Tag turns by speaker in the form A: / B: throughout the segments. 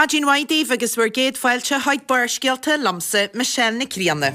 A: Maidin mhaith daoibh agus bhur gcéad fáilte chuig Barrscéalta liomsa, Michelle Nic Grianna.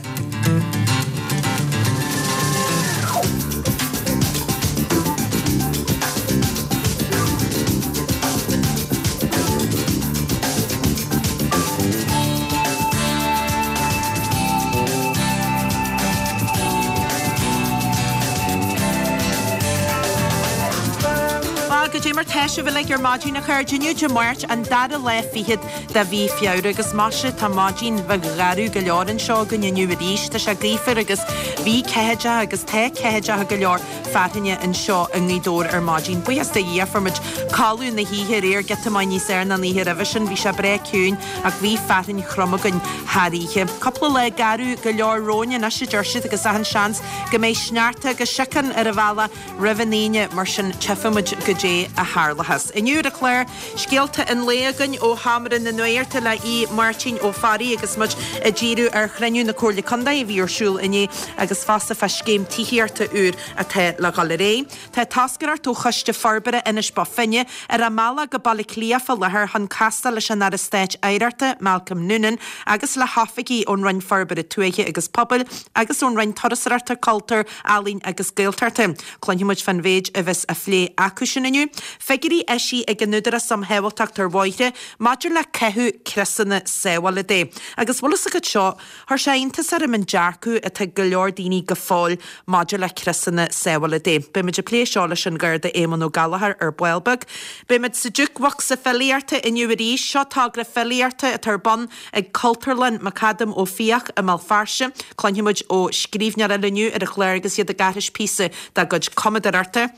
A: Bhuel, goidé mar tá sibh uilig ar maidin, a chairde. Inniu Dé Máirt, an dara lá fichead de mhí Feabhra, agus maise, tá maidin bheag gharbh go leor anseo againn inniu arís. Tá sé gaofar agus bhí ceathaideacha agus tá ceathaideacha go leor fearthainne anseo i nGaoth Dobhair ar maidin. Buíochas do Dhia, fuair muid codladh na hoíche aréir, giota maith níos fhearr ná an oíche roimhe sin. Bhí sé breá ciúin ach bhí fearthainn throm againn thar oíche. Cúpla lá garbh go leor romhainn anois, a deir siad, agus achan seans go mbeidh sneachta agus síocháin ar an bhealach roimh an Aoine, mar sin tchífidh muid goidé a tharlóchas. Inniu ar an chlár, scéalta an lae againn ó Sheomra na Nuachta le Aodh Máirtín Ó Fearraigh agus muid ag díriú ar chruinniú na Comhairle Contae a bhí ar siúl inné agus fosta fá scéim tithíochta úr atá le dhul ar aghaidh. Tá toscaireacht ó Choiste Forbartha Inis Bó Finne ar a mbealach go Baile Átha Cliath fá láthair chun castáil leis an Aire Stáit Oidhreachta, Malcolm Noonan, agus le hoifigigh ón Roinn Forbartha Tuaithe agus Pobail agus ón Roinn Turasóireachta, Cultúir, Ealaíon agus Gaeltachta. Cluinfidh muid fán mhéid a bheas á phlé acu sin inniu. Figiúirí eisithe ag an Údarás um Shábháilteacht ar Bhóithre maidir le caitheamh criosanna sábhála de. Agus bhfuil fhios agat seo, chuir sé iontas orm an dearcadh atá ag go leor daoine go fóill maidir le criosanna sábhála de. Beidh muid ag plé seo leis an Gharda Éamonn Ó Gallchóir ar ball beag. Beidh muid sa Jukebox Filíochta inniu arís. Seo togra filíochta atá ar bun ag Cultúrlann McAdam Ó Fiaich i mBéal Feirste. Cluinfidh muid ó scríbhneoir eile inniu ar an chlár agus iad ag aithris píosa dá gcuid cumadóireachta.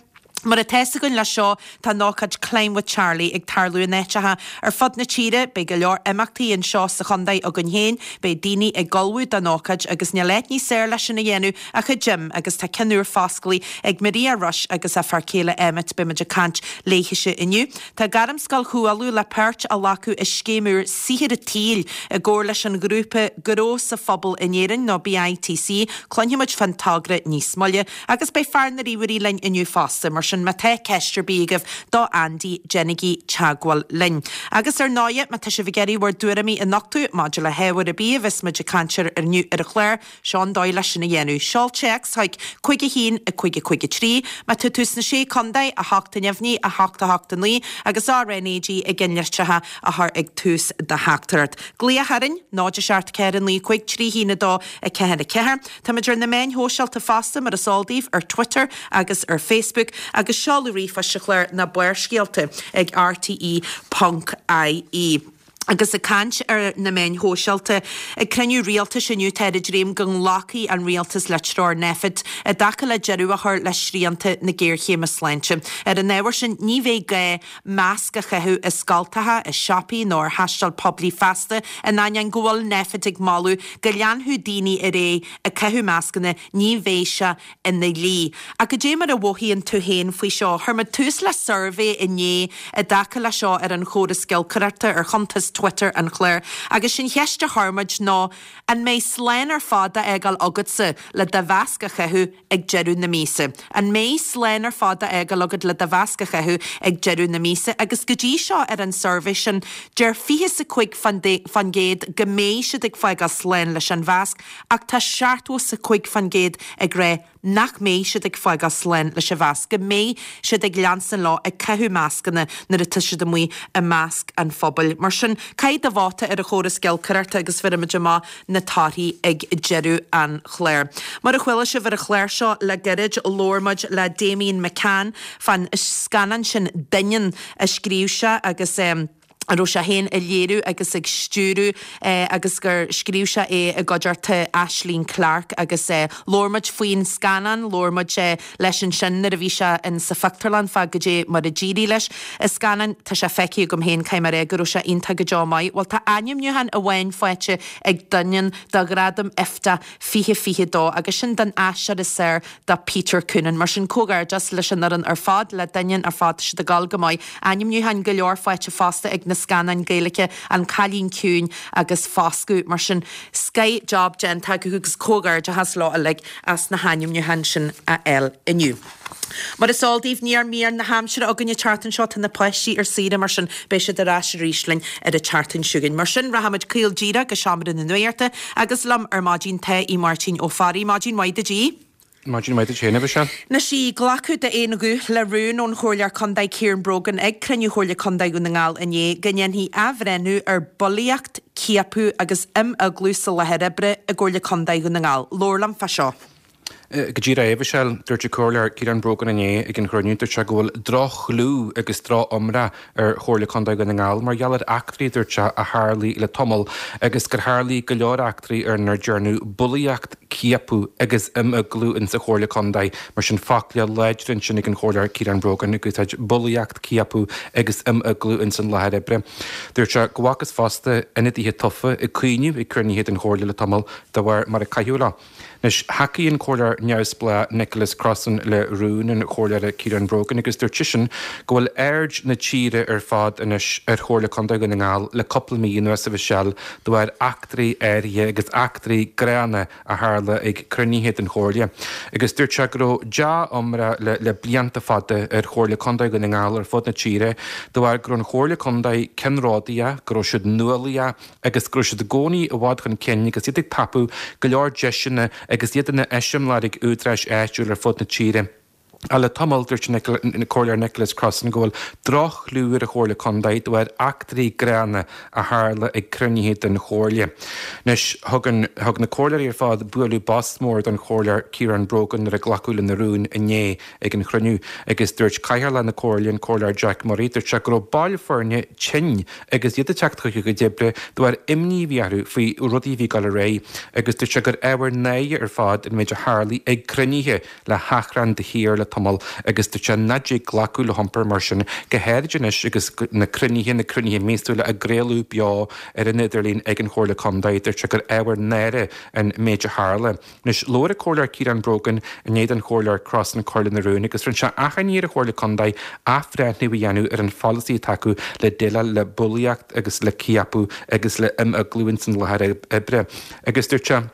A: Mar atá fhios againn leis seo, tá an ócáid Climb with Charlie ag tarlú in áiteacha ar fud na tíre. Beidh go leor imeachtaí anseo sa chontae againn féin. Beidh daoine ag ullmhú don ócáid agus níl áit níos fearr leis sin a dhéanamh ach an gym agus tá ceann úr fosclaithe ag Maria Rush agus a fear céile Emmet. Beidh muid ag caint léithise inniu. Tá Gairmscoil Chú Uladh le páirt a ghlacadh i scéim úr Saothar an tSaoil i gcomhar leis an ghrúpa Gnó sa Phobal in Éirinn nó BITC. Cluinfidh muid fán togra níos moille agus beidh fear na ríomhairí linn inniu fosta, mar sin má tá ceist ar bith agaibh do Andy déanaigí teagmháil linn. Agus ar ndóighe, má tá sibh ag iarraidh bhur dtuairimí a nochtadh maidir le hábhar ar bith a bheas muid ag caint air inniu ar an chlár, Seo an dóigh leis sin a dhéanamh. Seol téacs chuig 5 1 5 5 3. Má tá tú sna Sé Contae, 8 neamhní, 8 8 9, agus RnaG i gceannlitreacha a chur ag tús do theachtaireacht. Glaoch orainn, 0 7 4 9 5 3 1 2 4 4. Táimid ar na meáin shóisialta fosta, mar is eol daoibh, ar Twitter agus ar Facebook, agus seoladh ríomhphoist an chláir ná Barrscéalta ag rte ponc ie. Agus ag caint ar na meáin shóisialta, ag cruinniú rialtais inniu táthar ag dréim go nglacfaidh an rialtas le treoir Nphet i dtaca le deireadh a chur le srianta na géarchéime sláinte. Ar an ábhar sin, ní bheidh gá masc a chaitheamh i scoltacha, i siopaí nó ar thaisteal poiblí feasta, in ainneoin go bhfuil Nphet ag moladh go leanfadh daoine ar aghaidh ag caitheamh mascanna, ní bheidh sé ina dhlí. Ach goidé mar a mhothaíonn tú féin faoi seo? Chuir muid tús le suirbhé inné i dtaca le seo ar an chóras giolcaireachta ar chuntas Twitter an chláir agus sé'n cheist a chuir muid ná an mbeidh slán ar fad á fhágáil agatsa le do mhasc a chaitheamh ag deireadh na míosa? An mbeidh slán ar fad á fhágáil agat le do mhasc a chaitheamh ag deireadh na míosa? Agus go dtí seo ar an suirbhé sin deir 25% go mbeidh siad ag fágáil slán leis an mhasc Ach tá 75% ag rá nach mbeidh siad ag fágáil slán leis an mhasc, go mbeidh siad ag leanstan leo ag caitheamh mascanna nuair atá siad amuigh i measc an phobail. Mar sin, caith do vóta ar an chóras giolcaireachta agus bhéarfaimid amach na torthaí ag deireadh an chláir. Mar a chuala sibh ar an chlár seo le gairid, labhair muid le Damian McCann fán scannán sin Doineann a scríobh sé agus. a raibh sé féin ag léiriú agus ag stiúradh agus gur scríobh sé é i gcuideachta Aislinn Clarke agus labhair muid faoin scannán, labhair muid leis ansin nuair a bhí sé in sa phictiúrlann fá goidé mar a d'éirigh leis an scannán. Tá sé feicthe agam féin, caithfidh mé a rá go raibh sé iontach go deo maith. Bhuel tá ainmniúchán amháin faighte ag Doineann do Ghradam IFTA 2022 agus sin don aisteoir is fearr do Peter Coonan. Mar sin, comhghairdeas leis an fhoireann ar fad, le Doineann ar fad, tá siad ag dul go maith. Ainmniúcháin go leor faighte fosta ag na. na scannáin Gaeilge, An Cailín Ciúin agus Foscadh. Mar sin, scoth job déanta acu agus comhghairdeachas leo uilig as na hainmniúcháin sin a fháil inniu. Mar is eol daoibh, níl mír na haimsire againn an tseachtain seo, tá na páistí ar saoire mar sin beidh siad ar ais arís linn ar an tseachtain seo chugainn. Mar sin, rachaimid caol díreach go seomra na nuachta agus liom ar maidin tá Aodh Máirtín Ó Fearraigh. Maidin mhaith duit Aodh.
B: Maidin mhaith duit féin, a Mhichelle.
A: Anois a Aoidh, glacadh d'aon ghuth le rún ón Chomhairleoir Contae Ciaran Brogan ag cruinniú Chomhairle Contae Dhún na nGall inné go ndéanfaí athbhreithniú ar bhulaíocht, ciapadh agus imeaglú sa láthair oibre i gComhairle Contae Dhún na nGall. Labhair liom fá seo.
B: Go díreach é, a Mhichelle. Dúirt an Comhairleoir Ciaran Brogan inné ag an chruinniú, dúirt sé go bhfuil droch-chlú agus droch-iomrá ar Chomhairle Contae Dhún na nGall mar gheall ar eachtraí, a dúirt sé, a tharlaigh le tamall agus gur tharlaigh go leor eachtraí ar inar dearnadh bulaíocht, ciapadh agus imeaglú insa Chomhairle Contae. Mar sin, focla láidre ansin ag an Chomhairleoir Ciaran Brogan ag úsáid bulaíocht, ciapadh agus imeaglú insan láthair oibre. Dúirt sé go bhfacthas fosta ionadaithe tofa ag caoineadh ag cruinnithe den Chomhairle le tamall de bharr mar a caitheadh leo. Anois, thacaigh an Comhairleoir neamhspleách Nicholas Crossan le rún an Chomhairleora Ciaran Brogan agus dúirt seisean go bhfuil aird na tíre ar fad anois ar Chomhairle Contae Dhún na nGall le cúpla mí anuas, a Mhichelle, de bharr eachtraí áirithe agus eachtraí gránna a tharla ag cruinnithe den Chomhairle. Agus dúirt sé go raibh dea-iomrá le blianta fada ar Chomhairle Contae Dhún na nGall ar fud na tíre de bharr go raibh an Chomhairle Contae ceannródaíoch, go raibh siad nuálaíoch, agus go raibh siad i gcónaí i bhfad chun cinn agus iad ag tapú go leor deiseanna agus iad ina n-eiseamláir ag údaráis áitiúil ar fud na tíre. Ach le tamall, dúirt an Comhairleoir Nicholas Crossan go bhfuil droch-chlú ar an Chomhairle Contae de bharr eachtraí gránna a tharla ag cruinnithe den Chomhairle. Anois, thug an, thug na Comhairleoirí ar fad bualadh bos mór don Chomhairleoir Ciaran Brogan nuair a glacadh lena rún inné. ag an chruinniú agus dúirt Cathaoirleach na Comhairle, an Comhairleoir Jack Murray, dúirt sé go raibh baill foirne tinn agus iad ag teacht chuig a gcuid oibre de bharr imní a bhí orthu faoi rudaí a bhí ag dul ar aghaidh agus dúirt sé gur ábhar náire ar fad an méid a tharlaigh ag cruinnithe le hachrann de shíor le tamall agus dúirt sé nach dtig glacadh le hiompar mar sin, go háirid anois agus na cruinnithe, na cruinnithe míosúla á gcraoladh beo ar an idirlíon ag an Chomhairle Contae, dúirt sé gur ábhar náire an méid a tharla. Anois, labhair an Comhairleoir Ciaran Brogan i ndiaidh don Chomhairleoir Crossan cur lena rún agus rinne sé achainí ar an Chomhairle Contae athbhreithniú a dhéanamh ar an pholasaí atá acu le déileáil le bulaíocht agus le ciapadh agus le imeaglú ins an láthair oibre agus dúirt sé,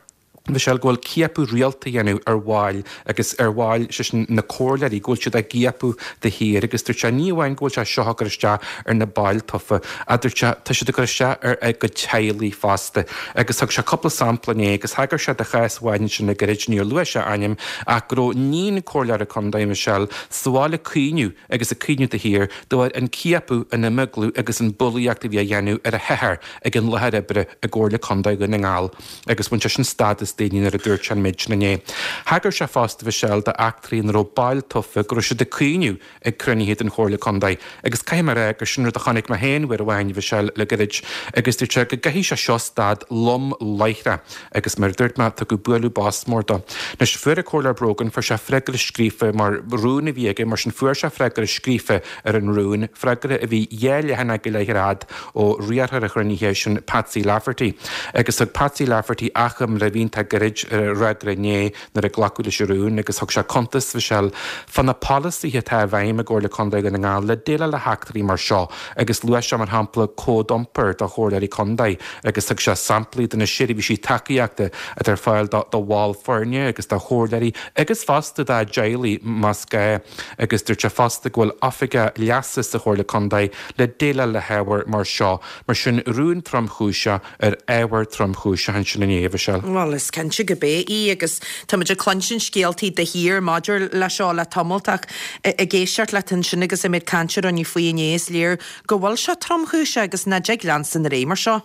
B: Michelle, go bhfuil ciapadh rialta á dhéanamh ar bhaill agus ar bhaill, sé sin na comhairleoirí, go bhfuil siad á gciapadh de shíor agus dúirt sé ní amháin go bhfuil sé seo ag cur isteach ar na baill tofa ach dúirt sé tá siad ag cur isteach ar a gcuid teaghlaigh fosta. Agus thug sé cúpla sampla inné agus thagair sé do chás amháin ansin le gairid, níor luaigh sé a ainm, ach go raibh níon comhairleora contae, Michelle, sa bhaile ag caoineadh agus ag caoineadh de shíor de bharr an ciapadh, an imeaglú agus an bulaíocht a bhí á dhéanamh ar a hathair ag an láthair oibre i gComhairle Contae Dhún na nGall. Agus bhain sé sin stad as daoine nuair a dúirt sé an méid sin inné. Thagair sé fosta, Michelle, d'eachtraí ina raibh baill tofa go raibh siad ag caoineadh ag cruinnithe den Chomhairle Contae agus caithfidh mé a rá gur sin rud a chonaic mé féin uair amháin, Mhichelle, le gairid agus dúirt sé go gcaithfidh sé seo stad lom láithreach agus mar a dúirt mé, tugadh bualadh bos mór dó. Anois, fuair an Comhairleoir Brogan, fuair sé freagra scríofa mar rún a bhí aige, mar sin fuair sé freagra scríofa ar an rún, freagra a bhí dhá leathanach go leith ar fhad ó riarthóir an chruinnithe, sin Patsy Lafferty. Agus thug Patsy Lafferty achoimre a bhí iontach gairid ar a fhreagra inné, nuair a glacadh leis an rún agus thug sé cuntas, Mhichelle, fá na polasaithe atá i bhfeidhm i gComhairle Contae Dhún na nGall le déileáil le heachtraí mar seo agus luaigh sé mar shampla cód iompair do chomhairleoirí contae agus thug sé samplaí de na seirbhísí tacaíochta atá ar fáil do bhaill foirne agus do chomhairleoirí agus fosta dá dteaghlaigh más gá agus dúirt sé fosta go bhfuil oifigeach leasa sa Chomhairle Contae le déileáil le hábhair mar seo. Mar sin rún tromchúiseach ar ábhar tromchúiseach ansin inné, a Mhichelle.
A: Bhuel, is cinnte go b'é í agus táimid ag cluinstin scéaltaí de shíor maidir le seo le tamalt ach ag éisteacht leat ansin agus an méid cainte a rinneadh faoi inné is léir go bhfuil sé tromchúiseach agus nach dtig leanstan ar aghaidh mar seo.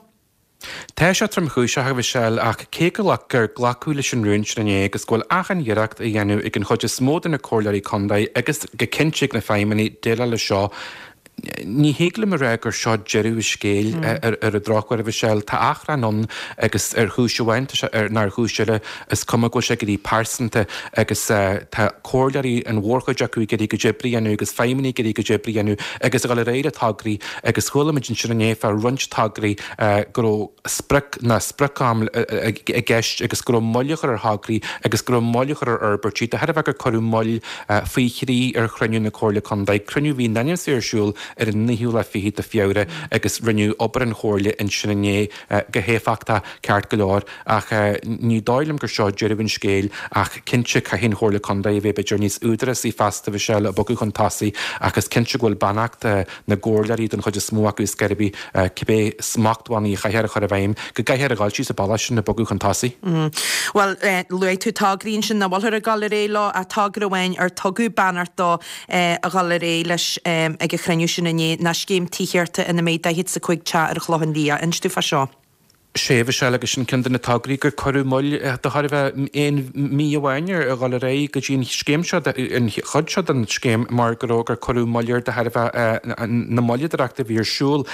B: Tá sé tromchúiseach, a Mhichelle, ach cé go gur glacadh leis an rún sin inné agus go bhfuil achan iarracht á dhéanamh ag an chuid is mó de na comhairleoirí contae agus go cinnte ag na feidhmeannaigh déileáil leis seo, Ní thig liom a rá gur seo deireadh an scéil ar an drochuair, a Mhichelle. Tá achrann ann agus ar chúis amháin tá sé nó ar chúis eile is cuma go bhfuil sé ag éirí pearsanta agus tá comhairleoirí, an mhórchuid acu, ag iarraidh a gcuid oibre a dhéanamh agus feidhmeannaigh ag iarraidh a gcuid oibre a dhéanamh agus a dhul ar aghaidh le tograí agus chuala muid ansin inné fá roinnt tograí go raibh sprioc ná sprioc-am i gceist agus go raibh moill á chur ar thograí agus go raibh moill á chur ar fhorbairtí de thairbhe gur cuireadh moill faoi thrí ar chruinniú na Comhairle Contae, cruinniú a bhí in ainm is a bheith ar siúl. ar an naoú lá fichead de Feabhra agus rinneadh obair an Chomhairle ansin inné go héifeachtach ceart go leor ach ní dóigh liom gur seo deireadh an scéil ach cinnte caithfidh an Chomhairle Contae a bheith b'fhéidir níos údarásaí feasta Mhichelle ag bogadh chun tosaigh ach is cinnte go bhfuil beannacht na gcomhairleoirí don chuid is mó acu is gurb é cibé smachtbhannaí a chaithfear a chur i bhfeidhm go gcaithfear a dhul síos an bealach sin ag bogadh chun tosaigh.
A: Bhuel, luaigh tú tograí ansin nach bhfuilthear ag dul ar aghaidh leo ach togra amháin ar tugadh beannacht dó a dhul ar aghaidh leis ag an chruinniú sin inné ná scéim tithíochta ina mbeidh 45 teach ar an Chlochán Liath. Inis dúinn fá seo.
B: Sea, Mhichelle, agus sin ceann de na tograí gur cuireadh moill de thairbhe aon mhí amháin ar a dhul ar aghaidh go dtí an scéim seo, an chuid seo den scéim mar go raibh, gur cuireadh moill air de thairbhe na moilleadóireachta a bhí ar siúl.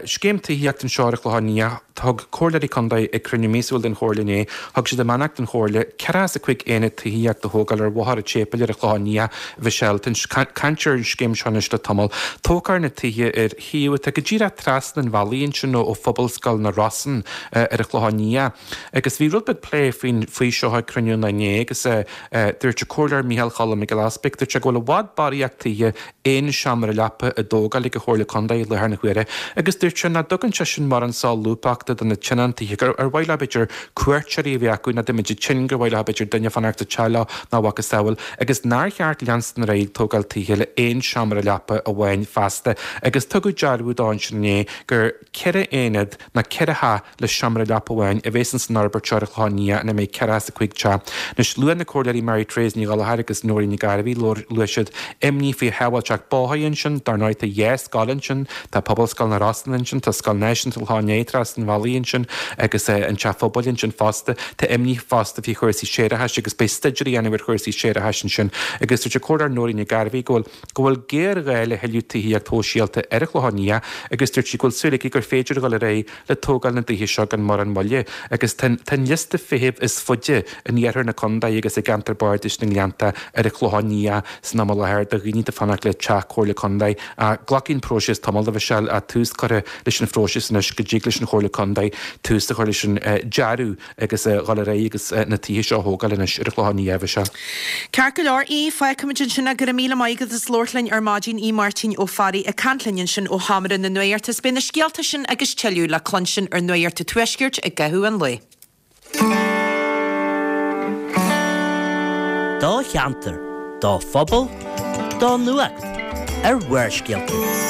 B: Scéim tithíochta anseo ar an Chlochán Liath. Thug Comhairleoirí Contae ag cruinniú míosúil den Chomhairle inné, thug siad a mbeannacht don Chomhairle 45 aonad tithíochta a thógáil ar Bhóthar an tSéipéil ar an Chlochán Liath, Mhichelle. Tá caint ar an scéim seo anois le tamall. Tógfar na tithe ar shuíomh atá go díreach trasna an bhealaigh ansin ó Phobalscoil na Rosann ar an Chlochán Liath. Agus bhí rud beag plé faoin faoi seo ag cruinniú an lae inné agus dúirt an Comhairleoir Micheál Cholm Mac Giolla Easpaig, dúirt sé go bhfuil i bhfad barraíocht tithe aon seomra leapa á dtógáil ag an Chomhairle Contae i láthair na huaire agus dúirt sé nach dtugann sé sin mórán solúbthachta do na tionóntaithe gur ar mhaith leo b'fhéidir cuairteoirí a bheith acu nó dá mbeidh siad tinn gur mhaith leo b'fhéidir duine fanacht sa teach leo nó a mhacasamhail agus nár cheart leanstan ar aghaidh ag tógáil tithe le aon seomra leapa amháin feasta agus tugadh dearbhú dó ansin inné gur 4 aonad nó 4 theach le seomra leapa amháin a bheas ins an fhorbairt seo ar an Chlochán Liath ina mbeidh 45 teach. Anois, luaigh na Comhairleoirí Mary Therese Ní Ghallchóir agus Nóirín Nic Gairbhí, luaigh siad imní faoi shábháilteacht bóthair ansin, dar ndóigh tá dhá scoil ansin, tá Pobalscoil na Rosann ansin, tá Scoil Náisiúnta an Chlocháin Léith trasna an bhealaigh ansin agus an Teach Phobail ansin fosta. Tá imní fosta faoi chúrsaí séarachais agus beidh staidéar á dhéanamh ar chúrsaí séarachais ansin agus dúirt an Comhairleoir Nóirín Nic Gairbhí go bhfuil go bhfuil géarghá le thuilleadh tithíocht shóisialta ar an Chlochán Liath agus dúirt sí go bhfuil súil aici gur féidir a dhul ar aghaidh le tógáil na dtithe seo gan mórán moille agus tá an liosta feithimh is faide in iarthar na contae agus i gceantar bardais na nGleannta ar an Chlochán Liath san am i láthair do dhaoine atá ag fanacht le teach Comhairle Contae. Glacfaidh an próiseas tamall a Mhichelle ach tús curtha leis an phróiseas anois go dtig leis an Chomhairle Contae tús a chur leis an dearadh agus a dhul ar aghaidh agus na tithe seo a thógáil anois ar an Chlochán Liath, a Mhichelle.
A: Ceart go leor, Aodh, fágfaimid ansin é. Go raibh míle maith agat as labhairt linn ar maidin, Aodh Máirtín Ó Fearraigh ag caint linn ansin ó Sheomra na Nuachta. Is beidh na scéalta sin agus tuilleadh le cluinstin ar Nuacht an Tuaiscirt i gcaitheamh an lae.
C: Do cheantar, do phobal, do nuacht ar Bharrscéalta.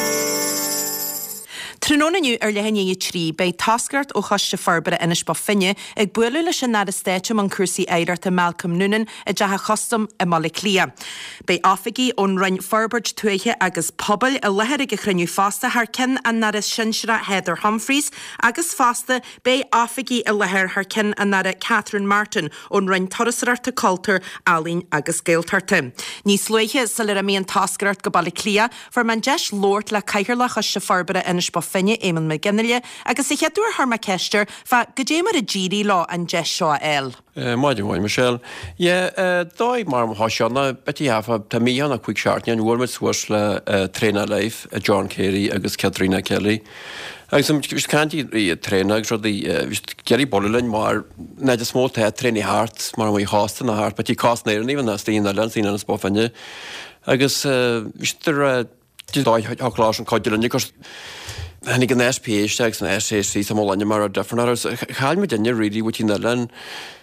A: Tráthnóna inniu ar leath i ndiaidh a 3, beidh toscaireacht ó Choiste Forbartha Inis Bó Finne ag bualadh leis an Aire Stáit i mbun cúrsaí Oidhreachta Malcolm Noonan i dTeach an Chustaim i mBaile Átha Cliath. Beidh oifigigh ón Roinn Forbairt Tuaithe agus Pobail i láthair ag an chruinniú fosta thar ceann an Aire Sinsearach Heather Humphreys agus fosta beidh oifigigh i láthair thar ceann an Aire Catherine Martin ón Roinn Turasóireachta, Cultúir, Ealaíon agus Gaeltachta. Níos luaithe, sular imigh an toscaireacht go Baile Átha Cliath, fuair mé an deis labhairt le Cathaoirleach Choiste Forbartha Inis Bó Finne, Éamonn Mac Fhionnghaile, agus sa chéad uair chuir mé ceist air fá goidé mar a d'éirigh leo an deis seo a fháil.
D: Maidin mhaith, Michelle. Yeah, dóigh mar thá seo ná b'fhéidir half tá mí ann 5 seachtaine, bhuail muid suas le Traenáil Life, John Carey agus Caitríona Kelly. Agus bhí siad caint i traenáil agus rudaí, bhí siad ag iarraidh bualadh linn mar an fhaid is mó tá traenáil thart, mar amuigh chósta ná thart, b'fhéidir cás na hÉireann even as daoine eile, daoine Inis Bó Finne. Agus bhí siad ag rá, dóigh thiocfadh leo sin cuidiú linn agus tháinig an SPA isteach agus an SAC sa mo linne mar a difear agus chaill muid duine really with an oileán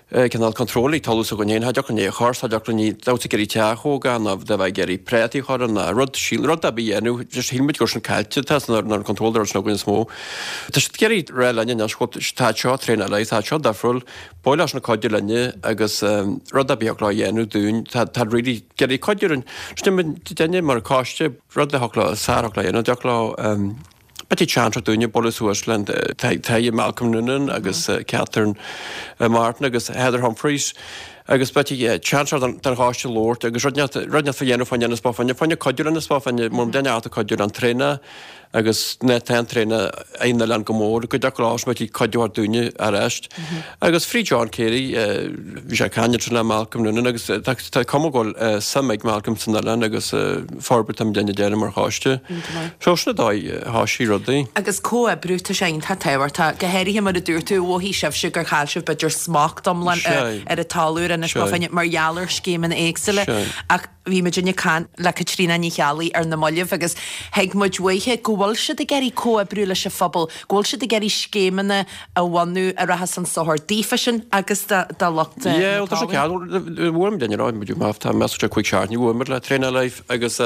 D: cineál control ag tarlú s'againn féin, cha dtiocfadh linn é a chur, cha dtiocfadh linn dá mbeadh ag iarraidh teach a thógáil nó dá bheith ag iarraidh préataí a chur ann ná rud, síl, rud ar bith a dhéanamh, just shíl muid go raibh sin caillte, tá san ar an control ar sin againn is mó. Tá siad ag iarraidh rá linn anois go bhfuil tá seo traenáil tá seo difriúil, ba mhaith leis na cuidiú linne agus rud ar bith a thiocfadh leo a dhéanamh dúinn, tá tá really ag iarraidh cuidiú linn. Sin duine mar coiste, rud a thiocfadh leo, is fearr a thiocfadh leo a dhéanamh, dtiocfadh leo B'fhéidir seans ar dúinne bualadh suas le an tAire Malcolm Noonan agus Catherine Martin agus Heather Humphreys agus b'fhéidir seans ar don choiste labhairt agus rud inteacht rud inteacht fá dhéanamh fá Inis Bó Finne, fá choinne cuidiú le Inis Bó Finne, mar duine ata cuidiú le an traenáil agus ná tá an traenáil ag an oileán go mór, go dtiocfadh leo b'fhéidir cuidiú ar dúinne arís. Agus fríd John Carey, bhí sé ag caint ansin le Malcolm Noonan agus tá cuma go bhfuil suim ag Malcolm san oileán agus forbairt atá muidinne a dhéanamh mar choiste. So sin an dóigh a thoisigh rudaí.
A: Agus comhoibriú, tá sé iontach tábhachtach, go háirithe mar a dúirt tú, mhothaigh sibhse gur chaill sibh b'fhéidir smacht iomlán ar an talamh. Inis Bó Finne mar gheall ar scéimeanna éagsúla ach bhí muidinne ag caint le Caitríona Ní Cheallaigh ar na mallaibh agus thuig muid uaithi go bhfuil siad ag iarraidh comhoibriú leis an phobal, go bhfuil siad ag iarraidh scéimeanna a bhunú a rachas chun sochair daofa sin agus do lucht
D: na Yeah, well, tá sé ceart, bhuail muid duine, muid má tá measc sé 5 seachtaine bhuail muid le Traenáil Life agus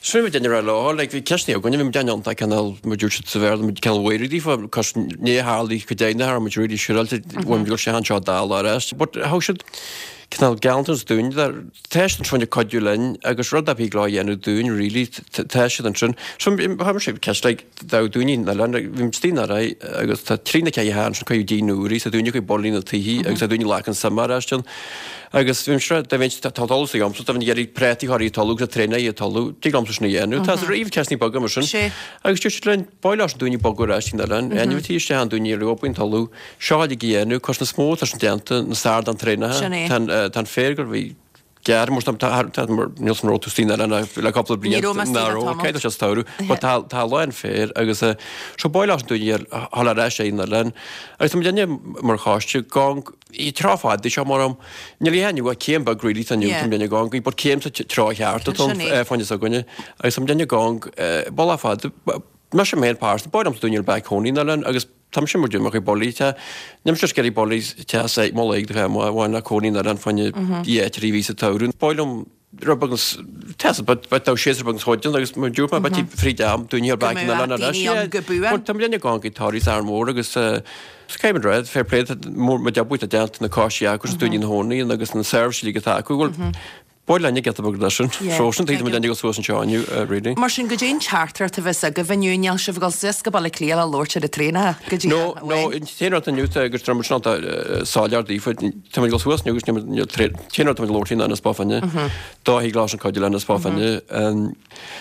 D: sin muid duine rá leo, like, bhí ceisteanna againne, bhí muid iontach cineál, mar dúirt siad sa Bhéarla, muid cineál wary daofa, cos ní tharlaigh go deimhin a muid really siúráilte, bhfuil muid go sé anseo dá lá ar ais, but thug siad cineál gealltanas dúinn, tá siad ansin ag cuidiú linn agus rud ar bith leo a dhéanamh dúinn really, tá siad ansin. So chuir mise ceist like, dá daoine na oileáin, like, bhí muid istigh in Árainn agus tá trí na ceithre ansin cuireadh díon úr í, tá daoine ag bailiú na tithe agus tá daoine ag glacann suime ar ais ann. Agus bhí mise, dá bheinn, tá an talamh sa liomsa, dá bheinn ag iarraidh préataí a chur i talamh agus traenáil i talamh, tig liomsa sin a dhéanamh. Tá riamh ceisteanna beaga mar sin. Agus dúirt siad linn, ba mhaith leis an daoine bogadh ar ais chuig an oileán, ainmhithe isteach an daoine a raibh obair an talamh, seo uilig a dhéanamh, cos na is mó atá sin déanta, na stair den traenáil. Tá an féar gur bhí gearr mar tá tá mar níl san raibh tú istigh in oileán le cúpla bliain
A: Ní raibh mé istigh
D: ná
A: le
D: raibh,
A: tamall.
D: cé tá sé sa tsamhradh, but tá tá a lán féir agus so ba mhaith leis an daoine a dhul ar ais ag an oileán. Agus tá muid inne mar choiste gan I treo fada seo mar am. Níl a inniu ach céim beag really tá inniu tá muid ag gong but céim sa treo cheart atá
A: Sin é.
D: fáinne s'againne agus tá muid ag gong bealach fada. Mise mé féin pearsa, ba mhaith liomsa daoine ar bheith cónaí in oileán agus tá mise mar dúinn mar chuid bulaí tá níl mise ag iarraidh bulaí te sa mo léig do bheith amuigh amháin le cónaí in oileán fáinne dhá trí mhí sa tsamhradh. Ba mhaith liom rud beag níos teasa but but tá séasúr beag níos faide agus mar dúirt mé beidh fríd am daoine ar
A: Go
D: bheith in
A: mbeadh
D: oileán ar ais.
A: daoine ann go buan.
D: But tá muid ag gong ag Tories Árainn Mhór agus Is céim an fair play mór mo deabúit a déanta na coisí acu agus daoine na hónaí agus na seirbhísí atá acu. Bhuel, ba mhaith linn a giota beag leis sin. So sin taobh muid ag dul suas anseo inniu, really.
A: Mar sin, goidé an teachtaireacht a bheas agaibh inniu, níl sibh ag dul suas go Baile Átha Cliath le labhairt ar an traenáil go dtí
D: No, no, an t-aon rud inniu tá agus tá muid soiléir daofa, tá muid ag dul suas inniu agus níl muid, an t-aon rud tá muid ag labhairt faoi ná Inis Bó Finne. Dá thig leis an cuid eile Inis Bó Finne.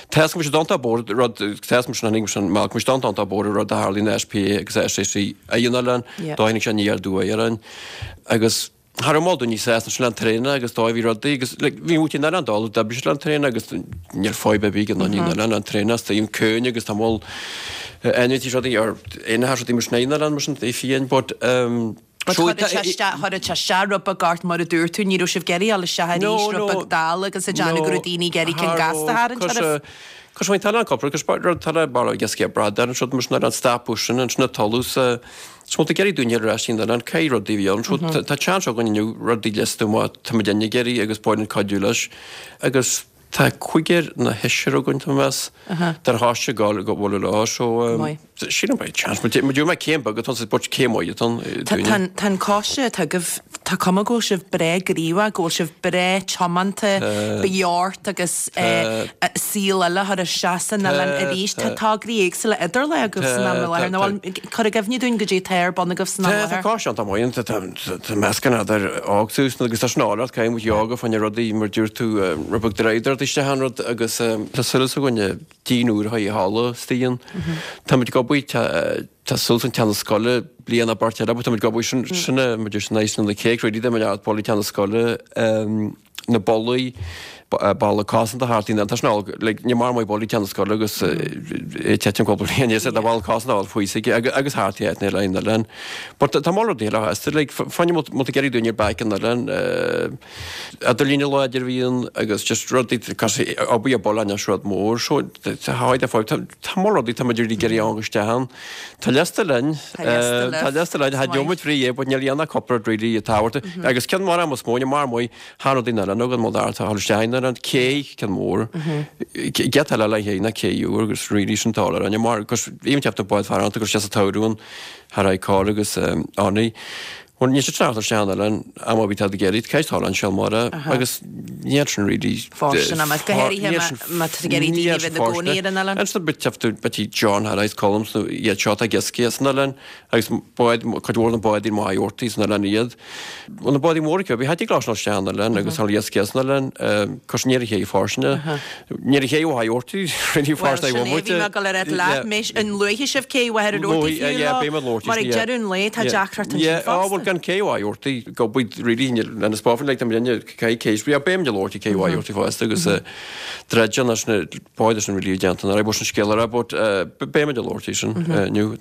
D: Tá 'fhios go mbeidh siad iontach buartha rud, tá 'fhios go mbeidh siad sin, go mbeidh siad iontach buartha rud a tharlaíonn i SPA agus SAC a dhéanamh linn, dá tháinig sé aniar aduaidh orainn agus cha raibh mol daoine sásta sin le an traenáil agus dóigh bhí rudaí agus like bhí muid in ann dul d'oibrigh siad le an traenáil agus níl fadhb ar bith ag an in ann an traenáil is tá an cúinne agus tá mol ainmhithe rudaí ar aon rudaí mar sin in ann mar sin é fiáin but um,
A: But chuir sé isteach, chuir sé isteach rud beag ort mar a dúirt tú, ní raibh sibh ag iarraidh dul isteach arís, rud beag dall agus ag déanamh go raibh daoine ag iarraidh ceann gasta a tharraingt oraibh.
D: Cos bhain tallann copra, cos rud tallann barra agus cé bradán an rud mar sin ar an stapadh sin, ansin an tolú sa Is muid ag iarraidh daoine ar ais in an cé rudaí a bhí ann. So tá seans againn inniu rudaí liosta má tá muid ag iarraidh agus ba mhaith linn cuidiú leis. Agus tá cúigear nó seisear againn tá mé meas dar choiste ag gabháil go leo so sílim beidh chance. Muid muid mé céim beag atá ann but céim mhaith atá ann dúinne.
A: Tá an coiste atá agaibh, tá cuma go bhfuil sibh breá gníomhach, go bhfuil sibh breá tiomanta, beart agus saol eile a chur isteach san oileán arís. Tá tograí éagsúla idir lámha agaibh san am i láthair. Nó bhfuil, cuir i gcuimhne dúinn goidé atá ar bun agaibh san am i
D: Tá
A: láthair.
D: coiste iontach maith ann, tá meascán idir óg suas agus tá sin álainn, caithfidh muid yoga fá choinne rudaí mar dúirt tú rud beag draíocht isteach an rud agus tá súil againn díon úr a chur i halla istigh ann. Tá muid ag obair, tá súil an teannas scoile bliain a beirt eile, tá muid ag obair sin sin muid ar sin na céic rudaí de mar ballaí teannas scoile. na ballaí, balla cosanta thart ina tá sin all like ní mar maith ballaí ceann na scoile agus é titim cúpla bliain níos tá balla cosanta all faoi sig agus thart i áit eile in oileán. But tá moll rudaí eile as like fáinne má tá ag iarraidh daoine ar bike in oileán idirlíne láidir a bhíonn agus just rudaí cos obair a buile anois rud mór so tá háid a fáil tá moll rudaí tá muid ag iarraidh ann isteach ann. Tá liosta linn.
A: Tá liosta libh.
D: Tá liosta linn. Tá deomaid frí é, but níl aon cúpla rud really tábhachtach. Agus ceann mór am is mó, mar maith, thar rudaí na linn agam, mar tá isteach ar an cé, ceann mór. Giota eile le haghaidh na cé úr agus really sin tá ar an mar, gus bhí an teacht bád fear anta gus sé sa tsamhradh an thar aghaidh cár agus annaí. Bhuel, níl sé trácht ar sean oileán, am a bhí tú ag iarraidh, ceist thall an Seol Mara, agus níl sin really.
A: Fóirstean ama, go háirithe má tá tú ag iarraidh daoine a bheith ina gcónaí ar an oileán.
D: Ansin b'fhéidir John Harris Colms nó iad seo atá ag iascaigh san oileán, agus báid, cuid mhór de na bádaí maith orthaí san oileán iad. Bhuel, na bádaí móra acu, bhí Hattie Glas nó sean oileán agus thall iascaigh san oileán, cos ní raibh chéidh fóirstean. Ní raibh chéidh mhaith orthaí, really
A: Bhuel,
D: fóirstean
A: sin é, bhí mé ag dul a rá leat, mé, an luafaidh sibh cé mhaith ar an orthaí fiú leo, mar ag deireadh an lae tá deacracht ansin
D: Yeah,
A: fosta.
D: bhuel, gan cé mhaith orthaí, go bhfuil really lena spáfan, like, tá muid cé cé, yeah, beidh muid ag labhairt cé mhaith orthaí fosta agus dreideann leis na báid sin really déanta, nuair a bhí sin scéal ar but beidh muid ag labhairt sin inniu.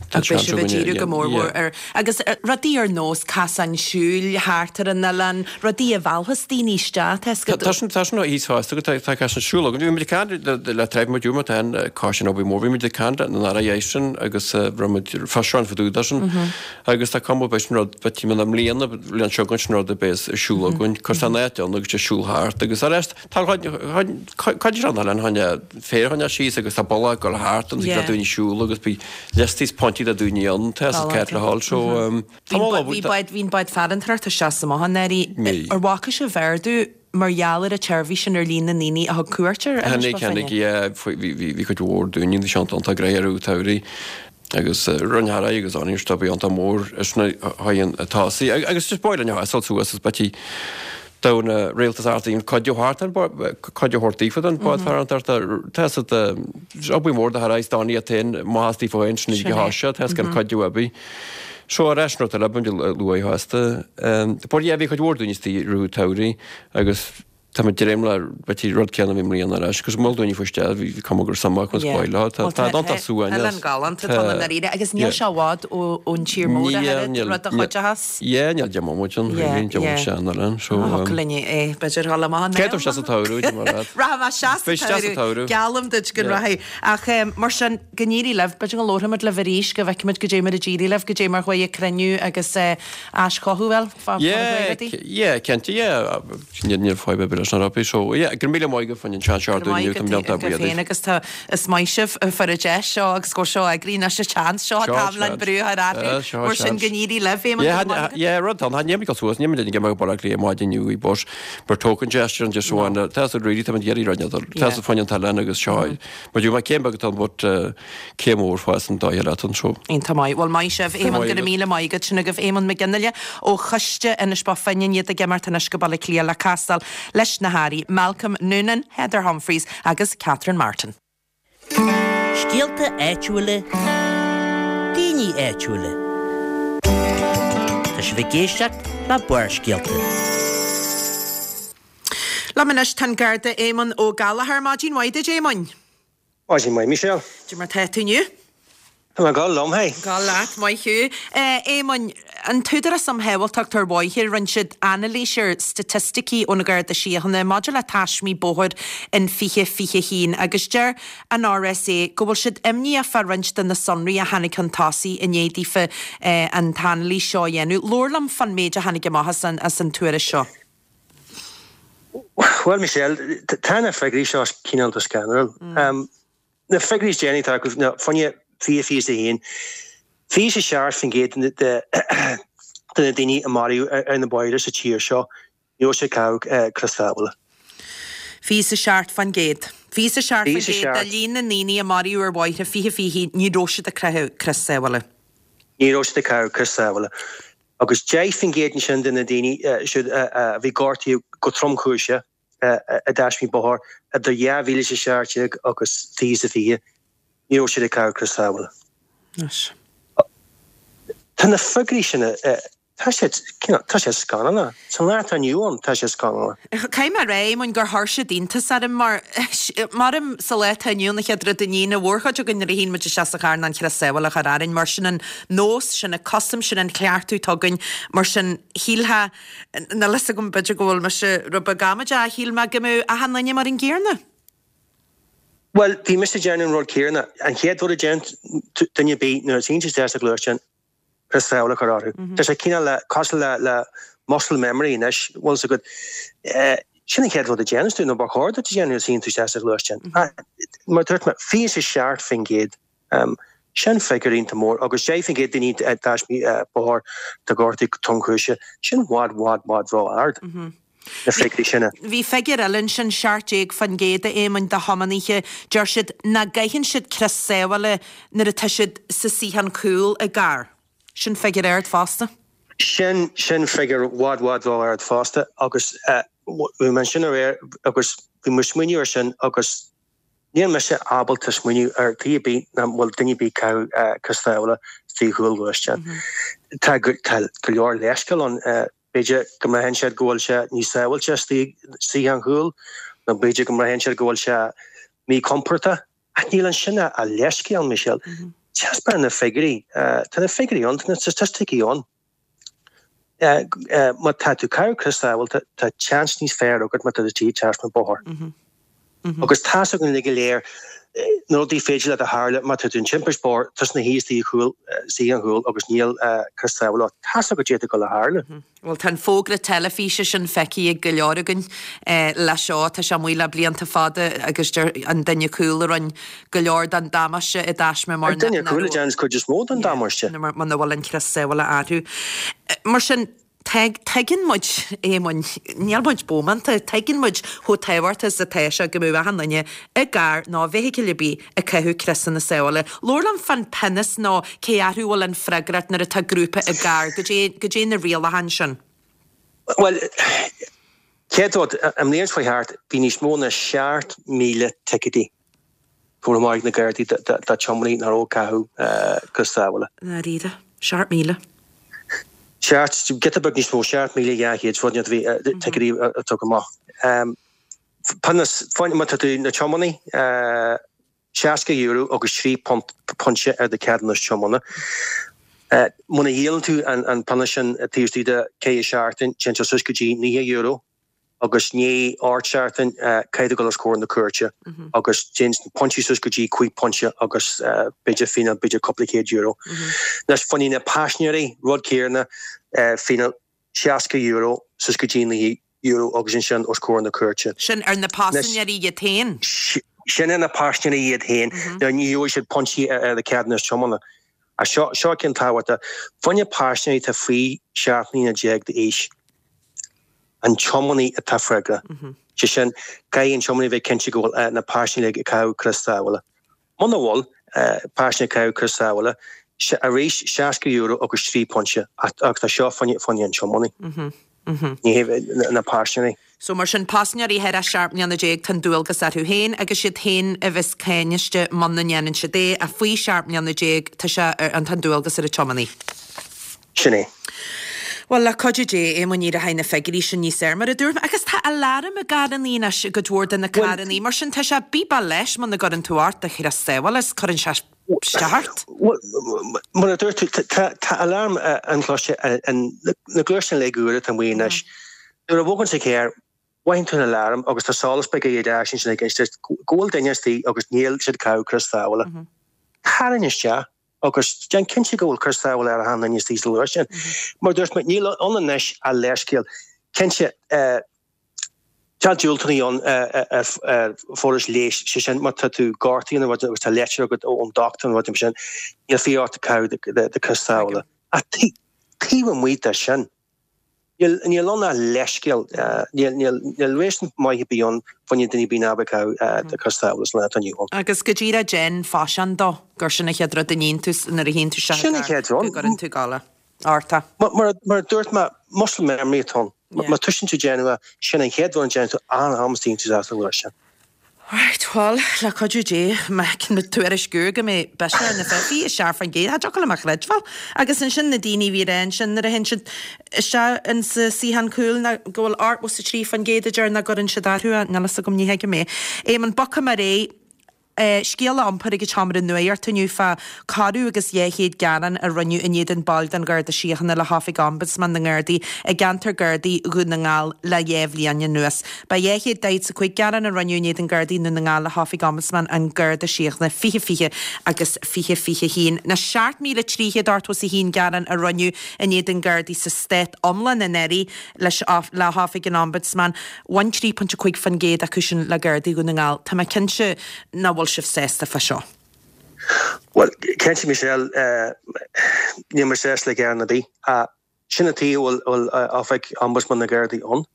A: Tá Ach beidh sibh ag díriú go mór mhór ar, agus rudaí ar nós casáin siúil thart ar an oileán, rudaí a mheallfas daoine isteach, tá
D: 'fhios agat. Tá sin, tá sin thíos fosta agus tá, tá casáin siúil againn. Bhí muid ag caint le treibh muid úr, tá an cás sin obair mhór, bhí muid ag caint le an Aire Jason agus raibh muid físeán fá dtaobh de sin agus tá cuma beidh sin rud, beidh timpeall na mbliana, bliain seo chugainn sin rud a bheas ar siúl againn, cur san áit ann agus siúl thart agus ar ais Tá cuid de an oileán chun féar a choinneáil síos agus tá bealach ag dul thart agus le daoine siúl agus bhí liostaí is pointí le daoine ann tá is ceart le hál so tá mó
A: Bhí bád bhí an bád farantóireachta isteach is amach anuraidh. Ar bhfaca sibh ardú mar gheall ar an tseirbhís sin ar líon na ndaoine a thug cuairt ar
D: Inis Bó Finne? Tháinig, yeah, bhí cuid mhór daoine bhí sé iontach gnoitheach i rith an tsamhraidh. agus Roinn Harry agus Aniar stop iontach mór is na haghaidh an tosaigh agus just b'áil linn a sheasamh suas is beití do na rialtas ard cuid a thabhairt an cuid a thabhairt daofa don bád farantóireachta tá siad obair mhór do Harry is Donnie iad féin maitheas daofa féin sin go háise tá gan cuid a bhí so ar ais rud eile b'fhéidir luath fosta but yeah bhí cuid mhór daoine istigh i rith an tsamhraidh agus Tá muid ag dréim le b'fhéidir rud céanna i mbliana ar ais, agus mhol daoine faoi isteach, bhí cuma gur suim acu agus b'áil leo. Tá tá dán tá suaimhneas.
A: Oileán galánta atá ann i ndáiríre agus níl sé i bhfad ón tír mór ach oiread, rud a chuideochas.
D: Yeah, níl deich mbomaite ann, really, deich mbomaite sean oileán, so.
A: Thiocfadh linn é, b'fhéidir dhul amach
D: an Cé tú isteach sa tsamhradh, dé mar
A: leat. Rachaidh mé isteach sa tsamhradh, geallaim duit go rachaidh. Ach mar sin, go n-éirí libh, b'fhéidir go labharfaimid libh arís, go bhfeicfimid goidé mar a d'éirigh libh, goidé mar chuaigh an cruinniú agus aischothú, bhuel, fá
D: Yeah, yeah, cinnte, yeah. Níl fadhb ar bith leis na rubaí so yeah, go raibh míle maith agat fá choinne an seans seo
A: Go raibh maith agat agaibh féin agus tá, is maith sibh fuair an deis seo agus go seo eagraí anois an seans seo
D: Seo
A: an t-am len brú a chur orthu mar sin go n-éirí libh Éamonn, go raibh maith
D: agat. Yeah, rud ann, níl muid ag dul suas, níl muid ag imeacht go Baile Átha Cliath maidin inniu i bus, but token gesture an just one, tá siad really, tá muid ag iarraidh rud éigin, tá siad fá choinne an t-oileán agus seo, mar dúirt mé céim beag atá ann but céim mhór fós an dóigh eile ann so.
A: Iontach maith. Bhuel, maith sibh, Éamonn, go raibh míle maith agat. Sin agaibh Éamonn Mac Fhionnghaile ó Choiste Inis Bó Finne, iad ag imeacht anois go Baile Átha Cliath le castáil leis na hAirí Malcolm Noonan, Heather Humphreys agus Catherine Martin.
C: Scéalta áitiúla, daoine áitiúla. Tá sibh ag éisteacht le Barrscéalta.
A: Liom anois tá an Garda Éamonn Ó Gallchóir. Maidin mhaith duit, Éamoinn.
E: Maidin mhaith, Michelle.
A: Cad é mar tá tú inniu?
E: Tá mé ag gabháil liom, hey.
A: Ag gabháil leat, maith thú. A Éamoinn, an tÚdarás um Shábháilteacht ar Bhóithre, rinne siad anailís ar staitisticí ón Gharda Síochána maidir le taismí bóthair in 2021 agus deir an RSA go bhfuil siad imníoch fá roinnt de na sonraí a tháinig chun tosaigh i ndiaidh daofa an t-anailís seo a dhéanamh. Labhair liom fán méid a tháinig amach as an tuairisc seo.
E: Bhuel, Michelle, tá na figiúirí seo cineál scanrúil. Na figiúirí is déanaí atá acu, ná fá choinne 2021, 27% de na daoine a maraíodh ar na bóithre sa tír seo, ní raibh siad ag caitheamh crios sábhála.
A: 27%. 27% de líon na ndaoine a maraíodh ar bhóithre 2021, ní raibh siad ag caitheamh crios sábhála.
E: Ní raibh siad ag caitheamh crios sábhála. Agus 10% ansin de na daoine siúd a bhí gortaithe go tromchúiseach i dtaismí bóthair idir 2017 agus 2020, ní raibh siad ag caitheamh crios sábhála. Tá na figiúirí sin, tá siad, tá siad scannalach. Sa lá atá inniu ann, tá siad scannalach.
A: Caithfidh mé a rá, Éamoinn, gur chuir siad iontas orm mar, maram sa lá atá inniu ann, an chéad rud a níonn an mhórchuid againn nuair a théann muid isteach sa charr ná an crios sábhála a chur orainn, mar sin an nós, sin an custom, sin an cleachtadh atá againn, mar sin shílfeá, níl fhios agam, b'fhéidir go bhfuil mise rud beag amaideach, shíl mé go mbeadh achan duine mar an gcéanna.
E: Bhuel, bhí mise ag déanamh an rud céanna. An chéad rud a déanann duine ar bith nuair a théann siad isteach sa ghluaisteán, crios sábhála a chur orthu. Tá sé cineál le, cosúil le, le muscle memory anois, bhfuil fhios agat. Sin an chéad rud a déananns tú, nó ba chóir duit a dhéanamh nuair a théann tú isteach sa ghluaisteán. Mar a dúirt mé, 27%, sin figiúr iontach mór, agus 10% daoine i dtaismí bóthair atá gortaithe go tromchúiseach, sin bhfad, bhfad, bhfad ró-ard. Na figiúirí sin.
A: Bhí figiúr eile ansin, 17% a Éamoinn, de thiománaithe, deir siad nach gcaitheann siad crios sábhála nuair atá siad sa suíochán cúil i gcarr. Sin figiúr ard fosta.
E: Sin, sin figiúr bhfad, bhfad ró-ard fosta agus bhí mé ansin aréir agus bhí mé ag smaoineamh ar sin agus níl mise ábalta smaoineamh ar chaoi ar bith nach bhfuil duine ar bith ag caitheamh crios sábhála istigh i gcúl gluaisteáin. Tá go, tá go leor leithscéal ann. B'fhéidir go mbraitheann siad go bhfuil sé níos sábháilte istigh sa suíochán chúil, nó b'fhéidir go mbraitheann siad go bhfuil sé míchompordach. Ach níl ansin ach leithscéal, Michelle. Taispeánann na figiúirí, tá na figiúirí ann, tá na staitisticí ann. Má tá tú ag caitheamh crios sábháilte, tá seans níos fearr agat má tá tú istigh i dtaisme bóthair. Agus tá's againn uilig go léir na rudaí féidir leat a tharla má tá tú in timpist bóthair, tusa ina shuí istigh i gcúl, suíochán chúil agus níl crios sábhála ort. Tá's agat goidé atá ag dul a tharlú.
A: Bhuel, tá an fógra teilifíse sin feicthe ag go leor againn leis seo. Tá sé amuigh le blianta fada agus deir an duine cúil a rinne go leor den damáiste i dtaisme mar
E: An duine cúil a déananns cuid is mó den damáiste.
A: muna bhfuil an crios sábhála orthu. Mar sin, tuigeann muid, Éamoinn, níl muid bómánta, tuigeann muid chomh tábhachtach is atá sé go mbeadh achan duine i gcarr nó i bhfeithicil ar bith ag caitheamh criosanna sábhála. Labhair liom fán pionós nó cé orthu a bhfuil an freagracht nuair atá grúpa i gcarr, goidé, goidé na rialacháin sin.
E: Bhuel, chéad rud, an mbliain seo chuaigh thart, bhí níos mó ná 7,000 ticéidí curtha amach ag na Gardaí do tiománaithe nach raibh ag caitheamh crios sábhála.
A: Dáiríre, 7,000.
E: Seacht, giota beag níos mó, 7,200 rud a bhí ticéidí a tugadh amach. Pionós, má tá tú ina tiománaí, €60 agus 3 pointe ar do cheadúnas tiomána. Muna dhíolann tú an pionós sin taobh istigh de 4 seachtain, téann sé suas go dtí €90 agus i ndiaidh 8 seachtain caithfidh tú dul os comhair na cúirte agus téann na pointí suas go dtí 5 pointe agus b'fhéidir fíneáil b'fhéidir cúpla céad euro. Anois, fá choinne na paisinéirí, rud céanna, fíneáil €60 suas go dtí €90 agus ansin os comhair na cúirte.
A: Sin ar na paisinéirí iad féin?
E: Sin ar na paisinéirí iad féin. Now ní gheobhaidh siad pointí ar a ceadúnas tiomána. Ach seo, seo ceann tábhachtach. Fá choinne paisinéirí atá faoi 17 mbliana d'aois, an tiománaí atá freagrach. Sé sin, caithfidh an tiománaí bheith cinnte go bhfuil na paisinéirí ag caitheamh crios sábhála. Muna bhfuil paisinéir ag caitheamh crios sábhála, arís €60 agus 3 pointe ach tá seo fá choinne an tiománaí, ní hé na paisinéirí.
A: So mar sin, paisinéirí thar 17 mbliana tá an dualgas orthu féin agus siad féin a bheas cáiniste muna ndéanann siad é ach faoi 17 mbliana tá sé ar an tá an dualgas ar an tiománaí.
E: Sin é.
A: Bhuel, le cuidiú Dé, Éamoinn, éireoidh na figiúirí sin níos fearr, mar a dúirt mé. Agus tá aláram i gcarrannaí anois, i gcuid mhór de na carrannaí. Mar sin, tá sé bíbeach leis muna gcuireann tú ort do chrios sábhála is cuireann sé isteach ort.
E: Bhuel, mar a dúirt tú, tá aláram inchloiste na gluaisteáin uilig úra atá amuigh anois. Nuair a bhogann sa charr, mothaíonn tú an aláram agus tá solas beag ar ais ansin ag inse duit go bhfuil duine istigh agus níl siad ag caitheamh crios sábhála. Tarraing isteach. Agus déan cinnte go bhfuil crios sábhála ar achan duine istigh sa ghluaisteán. Mar a dúirt mé, níl ann anois ach leithscéal. Cinnte, tá diúltúnaí ann ar forais leighis, sé sin má tá tú gortaithe nó rud agus tá leitir agat ón dochtúir nó rud mar sin, níl fiach ort caitheamh do chrios sábhála. Ach taobh amuigh de sin, Níl ann ach leithscéal. Níl réasún maith ar bith ann fá choinne duine ar bith ná bheith ag caitheamh do chrios sábhála sa lá atá inniu ann.
A: Agus go díreach déan faisean dó gur sin an chéad rud a níonn tú nuair a théann tú isteach i gcarr, go gcuireann tú ag gabháil ort é.
E: Mar a dúirt mé, muscle memory atá ann. Má toisíonn tú déanamh é, sin an chéad rud a déanann tú achan am a théann tú isteach sa ghluaisteán.
A: Right, bhuel, le cuidiú Dé, má fheiceann muid tuairisciú go mbeidh biseach ar na 27%, cha dtiocfadh liom a chreidbheáil. Agus ansin na daoine a bhí ag rá ansin nuair a théann siad isteach in sa suíochán cúil ná go bhfuil 83% a deir nach gcuireann siad orthu é, níl fhios agam, ní thuigim é. Éamonn, bogfaidh mé ar aghaidh. Scéala iompair ag an tSeomra Nuachta inniu fá corradh agus 200 gearán a rinneadh in éadan baill den Gharda Síochána le hOifig Ombudsman na nGardaí i gceantar Gardaí Dhún na nGall le dhá bhliain anuas. Ba 245 gearán a rinneadh in éadan Gardaí i nDún na nGall le hOifig Ombudsman an Gharda Síochána 2020 agus 2021. Na 7,381 gearán a rinneadh in éadan Gardaí sa stát iomlán anuraidh leis le hOifig an Ombudsman, bhain 3.5% acu sin le Gardaí Dhún na nGall. Tá mé cinnte nach bhfuil sibh sásta fá seo.
E: Bhuel, cinnte Michelle, níl mé sásta le gearán ar bith. Sin an tuige a bhfuil Oifig Ombudsman na Gardaí ann.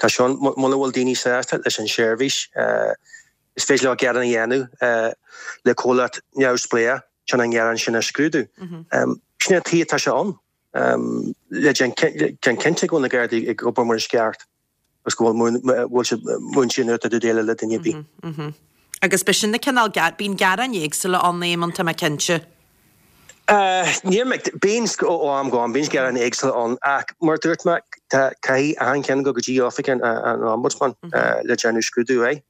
E: Tá sé ann, muna bhfuil daoine sásta leis an seirbhís, is féidir leo gearán a dhéanamh le comhlacht neamhspleách chun an gearán sin a scrúdú. Sin an tuige atá sé ann, le déanamh cinnte go bhfuil na Gardaí ag obair mar is ceart. agus go bhfuil siad múinte nuair atá tú ag déileáil le duine ar
A: bith. Agus b'shin na cineál, bíonn gearáin éagsúla ann, Éamonn, tá mé cinnte.
E: Níl mé, bíonn ó am go am, bíonn gearáin éagsúla ann ach mar a dúirt mé, tá, caithfidh achan cheann dul go dtí oifig an Ombudsman le déanamh scrúdú air.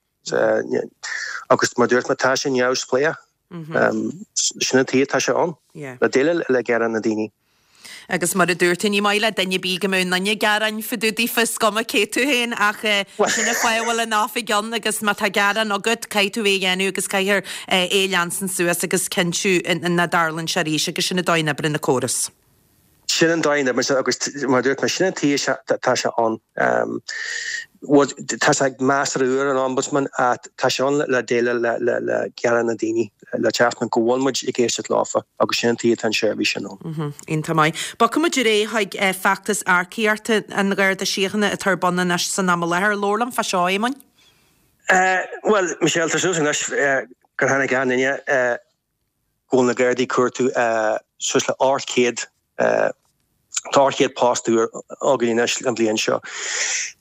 E: Agus mar a dúirt mé, tá sé neamhspleách. Sin an tuige atá sé ann, le déileáil le gearáin na ndaoine.
A: Agus mar a dúirt tú, ní maith le duine ar bith go mbeadh aon duine ag gearán fá dtaobh daofa, is cuma cé tú féin, ach sin an fáth a bhfuil an oifig ann agus má tá gearán agat, caithfidh tú é a dhéanamh agus caithfear é a leanstan suas agus cinntiú nach dtarlaíonn sé arís agus sin an dóigh a n-oibríonn an córas.
E: Sin an dóigh a n-oibríonn sé agus mar a dúirt mé, sin an tuige atá sé ann. Tá sé measartha úr, an Ombudsman, ach tá sé ann le déileáil le gearáin na ndaoine, le teacht go bhfuil muid ag éisteacht leofa agus sin an tuige atá an seirbhís sin ann.
A: Iontach maith. Bogfaidh muid ar aghaidh chuig feachtas earcaíochta an Gharda Síochána atá ar bun anois san am i láthair. Labhair liom fá seo, a Éamoinn.
E: Bhuel, Michelle, tá súil anois gur tháinig achan duine. go bhfuil na Gardaí ag cuartú suas le 800, tá 800 post úr againn anois an bhliain seo.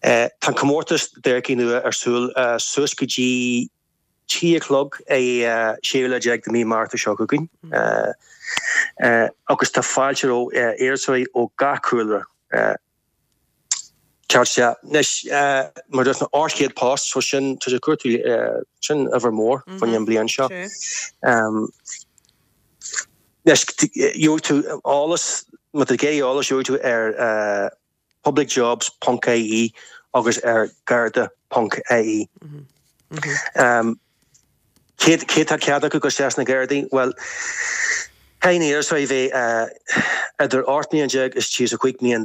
E: Tá an comórtas d'earcaigh nua ar siúl suas go dtí trí a chlog ar séú lá déag de mí Márta seo chugainn agus tá fáilte roimh iarratasóirí ó gach cúlra. Ceart sea. Anois, mar a dúirt mé, 800 post, so sin, tá sé ag cuartú, sin uimhir mhór fá choinne an bhliain seo. Anois, gheobhaidh tú eolas, má tá tú ag iarraidh eolas, gheobhaidh tú ar publicjobs ponc ie agus ar garda ponc ie. Cé atá cead acu dul isteach sna Gardaí? Bhuel, caithfidh na hiarratasóirí bheith idir 18 mbliana is 35 mbliana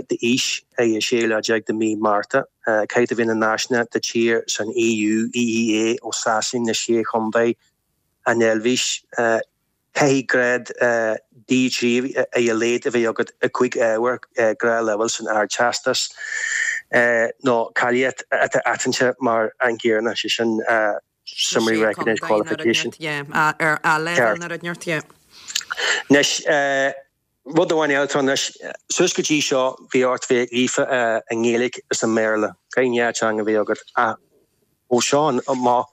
E: d'aois ar an séú lá déag de mhí Márta. Caithfidh tú bheith ina náisiúnach de tír san EU, EEA, ó Sasain, na Sé Chontae, an Eilvéis. Caithfidh grád D3 ar a laghad a bheith agat i gcúig ábhar gnáthleibhéil san Ardteastas, nó cáilíocht atá aitheanta mar an gcéanna, sé sin Similarly Recognised Qualification.
A: Ceart.
E: Anois, rud amháin eile atá ann anois, suas go dtí seo bhí ort bheith líofa i nGaeilge is i mBéarla, caithfidh an dá teanga a bheith agat, ach ó seo amach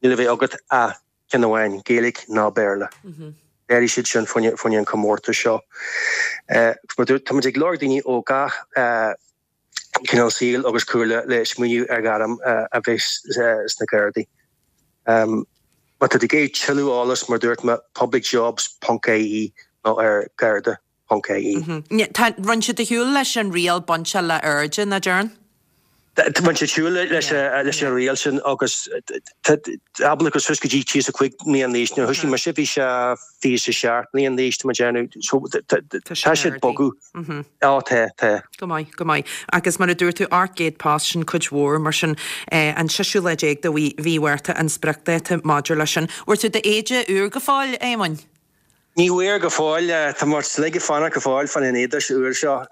E: níl le bheith agat ach ceann amháin, Gaeilge nó Béarla. D'athraigh siad sin fá choinne an comórtas seo. Tá muid ag lorg daoine ó gach cineál saoil agus cúlra le smaoineamh ar ghairm a bheith sna Gardaí. Má tá tú ag iarraidh tuilleadh eolais, mar dúirt mé, publicjobs.ie nó ar garda.
A: ie. Tá, rinne siad ar shiúl leis an riail bainte le airde, nach dtearn?
E: Rinne siad siúl leis an riail sin agus ábalta suas go dtí 35 mbliana d'aois. Nuair a thoisigh mise bhí sé 27 mbliana d'aois tá mé ag déanamh. So tá siad ag bogadh. Á tá, tá.
A: Go maith, go maith. Agus mar a dúirt tú, 800 post, sin cuid mhór, mar sin an seisiú lá déag de mhí Mhárta an spriocdháta maidir leis sin. Bhfuair tú d'éide úr go fóill, a Éamoinn?
E: Ní bhfuair go fóill. Tá muid uilig ag fanacht go fóill fán an éide úr seo.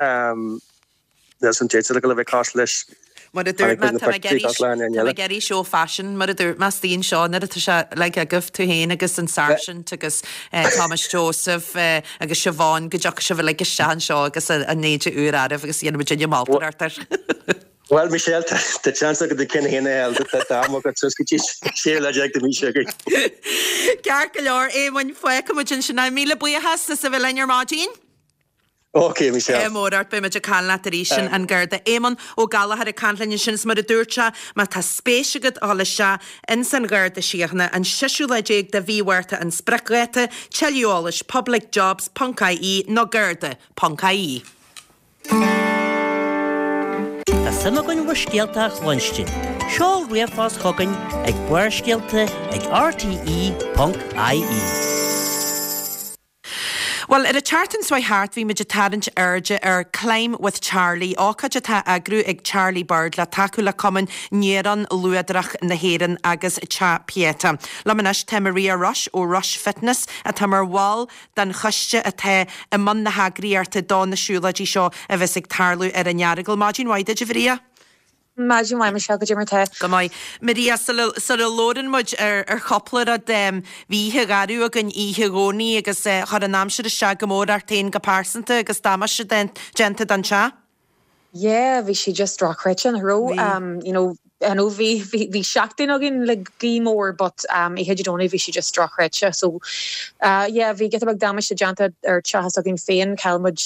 E: Níl san déite le bheith cosúil leis.
A: Mar a dúirt mé, tá mé ag iarraidh seó faisin, mar a dúirt mé istigh anseo nuair atá sé uilig agaibh, tú féin agus an Sáirsint agus Thomas Joseph agus Siobhán, go dtiocfaidh sibh uilig isteach anseo agus an éide úr oraibh agus dhéanfaidh muidinne moltóireacht air.
E: Bhuel, Michelle, tá seans agat do cheann féin a fháil, tá t-am agat suas go dtí séú lá déag de mhí seo chugainn.
A: Ceart go leor, Éamoinn, fágfaidh muid ansin é. Míle buíochas as a bheith linn ar maidin.
E: Ok, Michelle.
A: Ádh mór ort, beidh muid ag caint leat arís sin an Garda Éamonn Ó Gallchóir ag caint linn ansin is mar a dúirt sé, má tá spéis agat a dhul isteach ins an Gharda Síochána, an seisiú lá déag de mhí Mhárta an spriocdháta, tuilleadh eolais publicjobs ponc ie nó garda ponc ie.
C: Tá suim againn bhur scéalta a chluinstin. Seol ríomhphost chugainn ag barrscéalta ag rte.ie.
A: Bhuel, ar an tseachtain seo thart bhí muid ag tarraingt airde ar Climb with Charlie, ócáid atá á eagrú ag Charlie Bird le tacú le Cumann Néarón Luadrach na hÉireann agus Teach Pieta. Liom anois tá Maria Rush ó Rush Fitness atá mar bhall den choiste atá i mbun na heagraíochta do na siúlóidí seo a bheas ag tarlú ar an Earagail. Maidin mhaith duit, a Mharia.
F: Maidin mhaith, Michelle, goidé mar tá?
A: Go maith. Maria, sula labhrann muid ar chúpla rud, bhí oíche gharbh againn oíche Dhomhnaigh agus chuir an aimsir isteach go mór ort féin go pearsanta agus damáiste déanta don teach.
F: Yeah, bhí sé just dochreidte, nach raibh?
A: Bhí.
F: You know, I know bhí, bhí, bhí seachtain againn le gaoth mór but um oíche Dé Domhnaigh bhí sé just dochreidte. So uh yeah, bhí giota beag damáiste déanta ar teach s'againn féin, chaill muid.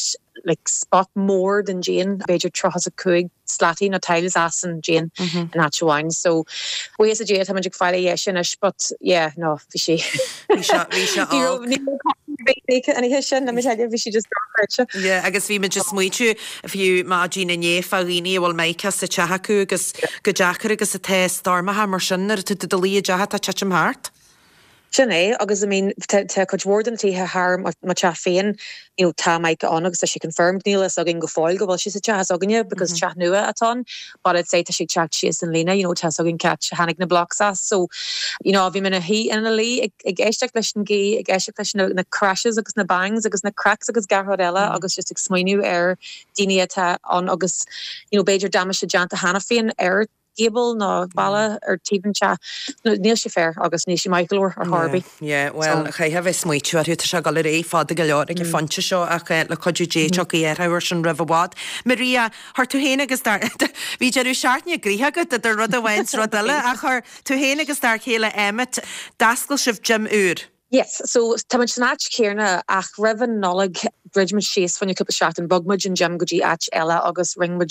F: like spot mór den díon, b'fhéidir 35 slataí nó tiles as an díon in áit amháin. So buíochas le Dia tá muid ag fáil é dheisithe anois but yeah no bhí sé
A: Bhí sé bhí sé
F: Ní raibh
A: olc.
F: ní raibh cotton ar bith an oíche sin, let me tell you, bhí sé just dochreidte.
A: Yeah agus bhí muid ag smaoitiú fiú maidin inné fá dhaoine a bhfuil mica sa teach acu agus chomh deacair agus atá stoirmeacha mar sin nuair atá tú i do luí i dteach atá ag titim thart.
F: Sin é, agus I mean tá cuid mhór de na tithe thar mo theach féin, you know tá mica ann agus tá sé confirmed, níl a fhios againn go fóill go bhfuil sé sa teach s'againne because teach nua atá ann but I'd say tá sé ag teacht síos an líne, you know tá a fhios againn cá háit a tháinig na blocks as so you know bhí mé ina shuí ina luí ag ag éisteacht leis an gaoth, ag éisteacht leis na na crashes agus na bangs agus na cracks agus gach rud eile agus just ag smaoineamh ar daoine atá ann agus you know b'fhéidir damáiste déanta cheana féin ar gable nó balla ar taobh an teach. Níl sé fair agus níl sé maith go leor ar chor ar bith.
A: Yeah, bhuel, chaithfeá a bheith ag smaoitiú orthu, tá sé ag dul ar aghaidh fada go leor ag an phointe seo ach le cuidiú Dé tiocfaidh athrú air sin roimh i bhfad. Maria, chuir tú féin agus d'fhear, bhí deireadh seachtaine gnoitheach agat idir rud amháin 's rud eile ach chuir tú féin agus d'fhear céile Emmet, d'oscail sibh gym úr.
F: Yes, so tá muid san áit chéanna ach roimh an Nollaig dhruid muid síos fá choinne cúpla seachtain, bhog muid an gym go dtí áit eile agus rinne muid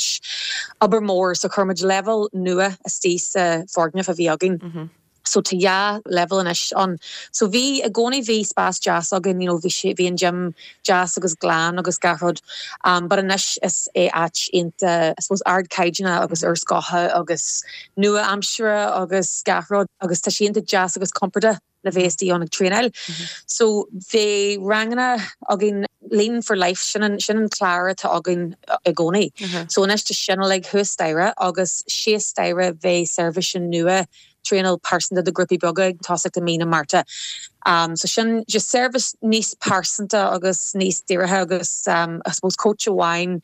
F: obair mór so chuir muid leibhéal nua istigh sa foirgneamh a bhí againn. So tá dhá leibhéal anois ann. So bhí, i gcónaí bhí spás deas againn, you know, bhí sé, bhí an gym deas agus glan agus gach rud but anois is é áit iontach, I suppose ardchaighdeánach agus úrscothach agus nua-aimseartha agus gach rud agus tá sé iontach deas agus compordach. le bheith istigh ann ag traenáil. So bhí ranganna againn, Lean for Life, sin an, sin an clár atá againn i gcónaí. So anois tá sin uilig thuas staighre agus síos staighre bheidh seirbhís nua traenáil pearsanta do ghrúpaí beaga ag tosacht i mí na Márta. So sin just seirbhís níos pearsanta agus níos dírithe agus I suppose coach amháin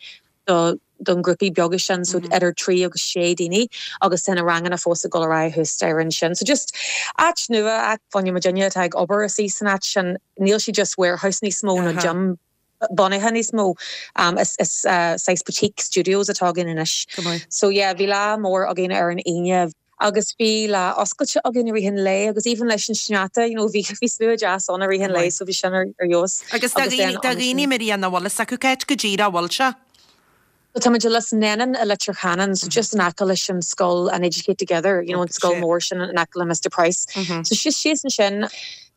F: do don grúpaí beaga sin, so idir 3 agus 6 daoine agus tá na ranganna fós ag dul ar aghaidh thuas staighre ansin. So just áit nua, áit fá choinne muidinne atá ag obair istigh san áit sin, níl sé just warehouse níos mó nó gym bunaithe níos mó, is is saghas boutique studios atá againn anois. So yeah, bhí lá mór againn ar an Aoine. Agus bhí lá oscailte againn i rith an lae agus even leis an sneachta, you know, bhí bhí slua deas ann i rith an lae so bhí sin ar ar fheabhas.
A: Agus do dhaoine, do dhaoine Maria nach bhfuil fhios acu cá háit go díreach a bhfuil sé?
F: So tá muid i Lios Nennon i Leitir Ceanainn, so just in aice leis an scoil an Educate Together, you know, an scoil mór sin in aice le Mr Price. So just síos ansin.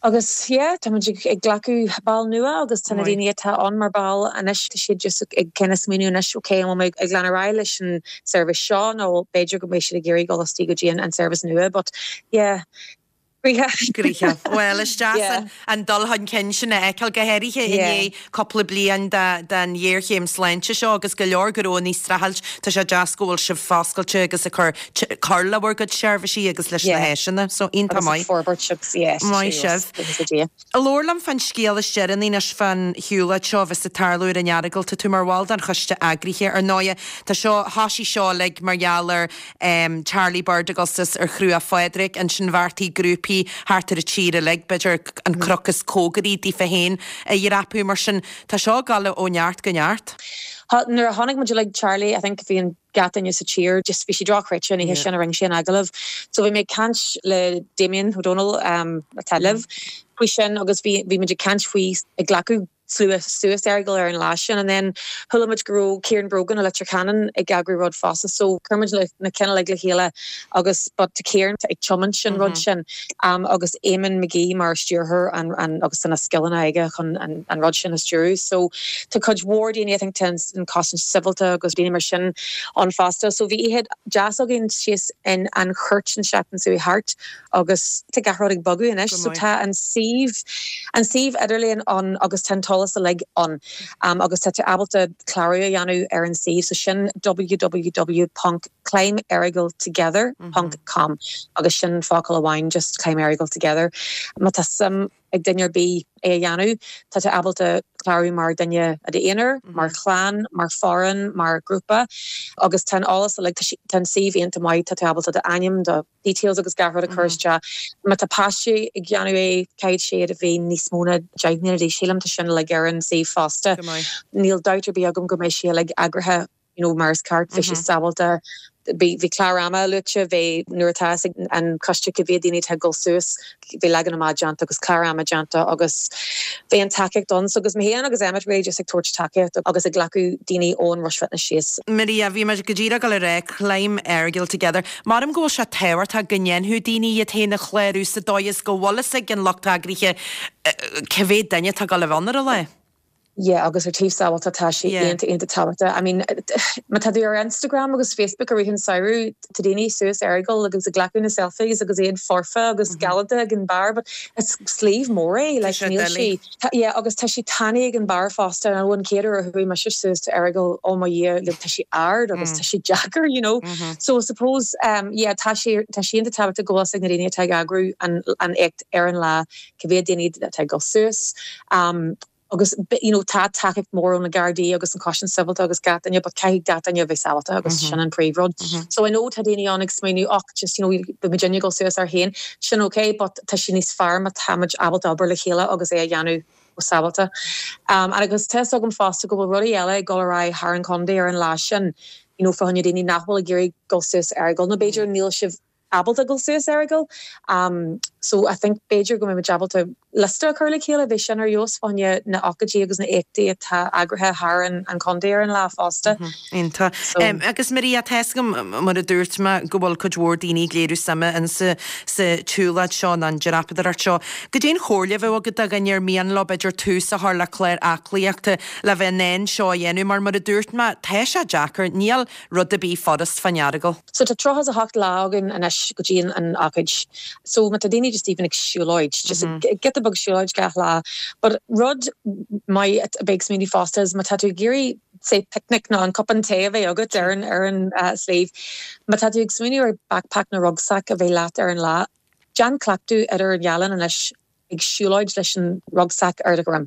F: Agus yeah, tá muid ag glacadh ball nua agus tá na daoine atá ann mar ball anois, tá siad just ag kind of smaoineamh anois, ok, an bhfuil mé ag lean ar aghaidh leis an seirbhís seo nó b'fhéidir go mbeidh siad ag iarraidh dul istigh go dtí an seirbhís nua but yeah, gnoitheach.
A: Gnoitheach. Bhuel, is deas an dul chun cinn sin a fheiceáil, go háirithe i ndiaidh cúpla bliain den ghéarchéim sláinte seo agus go leor gnónna ag streachailt, tá sé deas go bhfuil sibh foscailte agus ag cur cur le bhur gcuid seirbhísí agus leis na háiseanna. So, iontach maith. Maith sibh. Labhair liom fán scéal is deireanaí anois fán shiúlóid seo a bheas ag tarlú ar an Earagail. Tá tú mar bhall den choiste eagraithe. Ar ndóighe, tá seo, thoisigh seo uilig mar gheall ar Charlie Bird ag dul suas ar Chruach Phádraig. Ansin bheartaigh grúpaí thart ar an tír uilig, b'fhéidir an cnoc is cóngaraí daofa féin a dhreapadh. Mar sin, tá seo ag dul ó neart go neart.
F: Nuair a chonaic muid uilig Charlie, I think bhí an gach duine sa tír, just bhí sé drochchreidte an oíche sin a rinne sé an agallamh. So bhí mé ag caint le Damien Ó Dónaill, atá libh, faoi sin agus bhí bhí muid ag caint faoi ag glacadh slua suas Errigal ar an lá sin and then chuala muid go raibh Ciarán Brogan i Leitir Ceanainn ag eagrú rud fosta so chuir muid na cinn uilig le chéile agus but tá Ciarán ag tiomáint an rud sin agus Eamon McGee mar stiúrthóir an an agus tá na scileanna aige chun an an rud sin a stiúradh so tá cuid mhór daoine I think tá an cosaint sibhialta agus daoine mar sin ann fosta so bhí oíche deas againn síos in An Chúirt an seachtain seo thart agus tá gach rud ag bogadh anois so tá an suíomh, an suíomh idirlíon ann agus tá an t-eolas uilig ann agus tá tú ábalta clárú a dhéanamh ar an suíomh so sin www ponc climberrigaltogether ponc com agus sin focal amháin just climberrigaltogether. Má tá suim ag duine ar bith é a dhéanamh, tá tú ábalta clárú mar duine i d'aonar, mar chlann, mar foireann, mar grúpa agus tá an eolas uilig, tá an suíomh iontach maith, tá tú ábalta d'ainm, do details agus gach rud a chur isteach. Má tá páistí ag déanamh é, caithfidh siad a bheith níos mó ná 10 mbliana d'aois, sílim, tá sin uilig ar an suíomh fosta. Níl dabht ar bith agam go mbeidh sé uilig eagraithe you know mar is ceart, beidh sé sábháilte. Bhí bhí clár ama luaite, bhí nuair atá fhios ag an coiste cé mhéad daoine atá ag dul suas, bhí leagan amach déanta agus clár ama déanta agus bhí an tacaíocht ann. So agus mé féin agus Emmet really just ag tabhairt tacaíocht agus ag glacadh daoine ón Rush Fitness síos.
A: Maria, bhí mé go díreach ag dul a rá Climb Errigal Together. Maram go bhfuil sé tábhachtach go ndéanfadh daoine iad féin a chlárú sa dóigh is go bhfuil fhios ag an lucht eagraithe cé mhéad duine atá ag dul a bheith ann ar an lá.
F: Yeah agus ar taobh sábháilteachta tá sé iontach iontach tábhachtach. I mean má tá tú ar Instagram agus Facebook i rith an samhradh tá daoine suas Errigal agus ag glacadh na selfies agus iad foirfe agus galánta ag an barr but is sliabh mór é like níl sé yeah agus tá sé tanaí ag an barr fosta and an chéad uair a chuaigh mise suas to Errigal oh mo Dhia like tá sé ard agus tá sé deacair you know so I suppose um yeah tá sé tá sé iontach tábhachtach go bhfuil fhios ag na daoine atá ag eagrú an an éacht ar an lá cé mhéad daoine atá ag dul suas um agus you know tá tacaíocht mór ó na Gardaí agus an Chosaint Sibhialta agus gach duine but caithfidh gach duine a bheith sábháilte agus sin an príomh rud. So I know tá daoine ann ag smaoineamh och just you know beidh muidinne ag dul suas ár féin, sin ok but tá sé níos fearr má tá muid ábalta obair le chéile agus é a dhéanamh go sábháilte. Um agus tá fhios agam fosta go bhfuil rudaí eile ag dul ar aghaidh thar an chontae ar an lá sin you know fá choinne daoine nach bhfuil ag iarraidh dul suas Errigal nó b'fhéidir níl sibh ábalta dul suas Errigal. So I think b'fhéidir go mbeidh muid ábalta liosta a chur le chéile, bheadh sin ar fheabhas fá choinne na ócáidí agus na éachtaí atá eagraithe thar an chontae ar an lá fosta.
A: Iontach. Agus Maria, tá fhios agam, mar a dúirt mé, go bhfuil cuid mhór daoine ag léiriú suime in sa tsiúlóid seo nó an dreapadóireacht seo. Goidé an chomhairle a bheadh agat do dhuine ar mian leo b'fhéidir tús a chur le clár aclaíochta le bheith in ann seo a dhéanamh mar mar a dúirt mé, tá sé deacair, níl rud ar bith furast fán Earagail.
F: So tá 38 lá againn anois go dtí an ócáid. So má tá daoine just even ag siúlóid, just giota beag siúlóid gach lá. But rud maith a bheith ag smaoineamh fosta is má tá tú ag iarraidh say picnic nó an cupán tae a bheith agat ar an ar an sliabh, má tá tú ag smaoineamh ar backpack nó rucksack a bheith leat ar an lá, déan cleachtadh idir an dá linn anois ag siúlóid leis an rucksack ar do dhroim.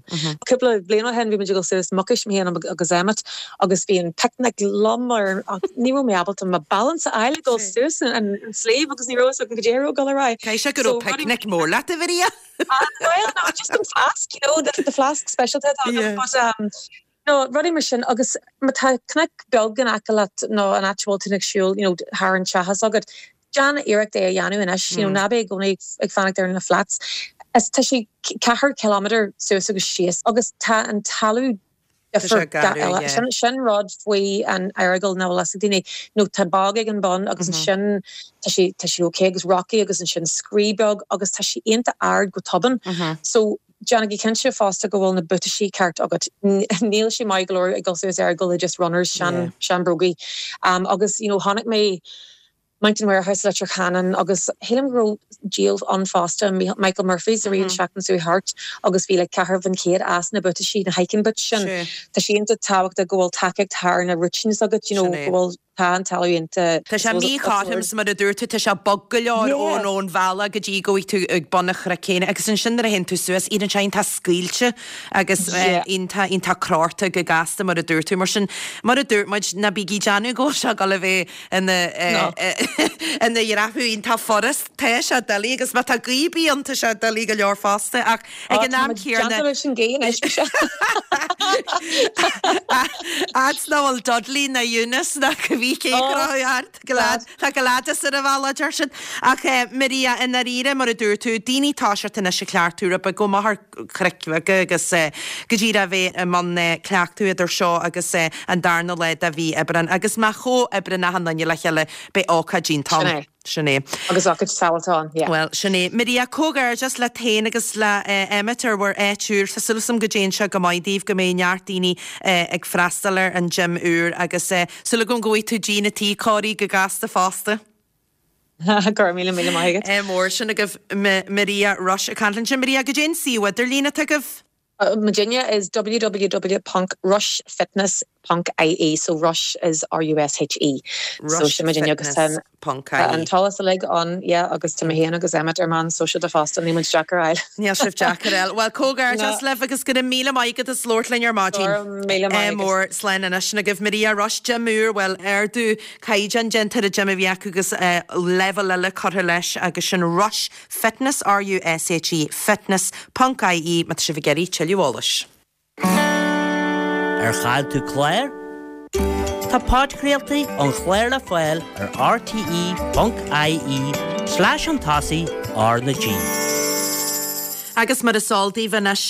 F: Cúpla bliain ó shin bhí muid ag dul suas Mucais, mé féin agus Emmet, agus bhí an picnic liom ar ach ní raibh mé ábalta mo balance a fháil ag dul suas an sliabh agus ní raibh fhios agam goidé a raibh ag dul ar aghaidh.
A: Caithfidh sé go raibh picnic mór leat, a Mharia!
F: Well, no, just an flask, you know, the, the flask speisialta atá agam, but um, no, rudaí mar sin agus má tá cnoc beag in aice leat nó an áit a bhfuil tú ag siúl, you know, thar an teach agat, Déan iarracht é a dhéanamh anois, you know, ná bí i gcónaí ag fanacht ar na flats. Is tá sé ceathair kilometre suas agus síos agus tá an talamh difriúil gach uile. Sin sin rud faoi an Earagail nach bhfuil fhios ag daoine. You know, tá bog ag an bun agus ansin tá sé tá sé ok agus rocky agus ansin scrí beag agus tá sé iontach ard go tobann. So déanaigí cinnte fosta go bhfuil na buataisí ceart agat. Níl sé maith go leor ag dul suas Errigal le just runners, sean sean bhrógaí. Agus you know chonaic mé Mountain Warehouse Leitir Ceanainn agus shílim go raibh díol ann fosta, Michael Murphy's i rith an seachtain seo thart agus bhí like 1,400 as na buataisí, na hiking boots sin. Tá sé iontach tábhachtach go bhfuil tacaíocht thar na routines agat, you know, go bhfuil, tá an talamh iontach.
A: Tá sé míchothrom is mar a dúirt tú, tá sé bog go leor ón ón bhealach go dtí go bhfaighidh tú ag bun an chnoic féin agus ansin nuair a théann tú suas, éiríonn sé iontach scaoilte agus iontach iontach crórtha go gasta mar a dúirt tú. Mar sin, mar a dúirt muid, ná bígí ag déanamh go bhfuil sé ag dul a bheith ina ina dhreapadh iontach furast. Tá sé doiligh agus má tá gaoth ar bith ann tá sé doiligh go leor fosta ach ag an am céanna.
F: Déanta leis an gaoth anois mise.
A: Fhad 's nach bhfuil Dudley ná Eunice ná cibé cé ag croitheadh ort, glad tá Gladys ar an bhealach deir siad. Ach Maria, i ndáiríre mar a dúirt tú, daoine toiseacht anois ag cleachtadh rud beag, gabh amach ar chnoic bheaga agus go díreach a bheith i mbun cleachtadh idir seo agus an darna lá de mhí Aibreán. Agus má chomhoibríonn achan duine le chéile beidh ócáid iontach
F: ann. Sin é.
A: Sin é.
F: Agus ócáid sábháilte ann, yeah.
A: Bhuel, sin é. Maria, comhghairdeas leat féin agus le Emmet ar bhur áit úr. Tá súil agam go dtéann sé go maith daoibh, go mbeidh neart daoine ag freastal ar an gym úr agus súil agam go bhfaighidh tú díon an tí cóirithe go gasta fosta.
F: Go raibh míle míle maith agat.
A: Ádh mór. Sin agaibh Maria Rushe ag caint linn. Sin Maria, goidé an suíomh idirlín atá agaibh?
F: Muidinne is www ponc rushefitness ponc ie so rush is R-U-S-H-E so sin muidinne agus tá
A: ponc ie.
F: an t-eolas uilig ann yeah agus tá mé féin agus Emmet ar meán sóisialta fosta níl muid deacair a fháil.
A: Níl sibh deacair a fháil. Bhuel comhghairdeas libh agus go raibh míle maith agat as labhairt linn ar maidin.
F: Go raibh míle maith
A: agat.
F: Ádh
A: mór. Slán anois. Sin agaibh Maria Rushe, gym úr, bhuel ardú caighdeán déanta ar an gym a bhí acu agus leibhéal eile curtha leis agus sin Rushe Fitness, R-U-S-H-E, Fitness, ponc IE má tá sibh ag iarraidh tuilleadh eolais.
C: Ar chaill tú clár? Tá podchraoltaí an chláir le fáil ar rte.ie slash chun tosaigh R na G.
A: Agus mar is eol daoibh anois,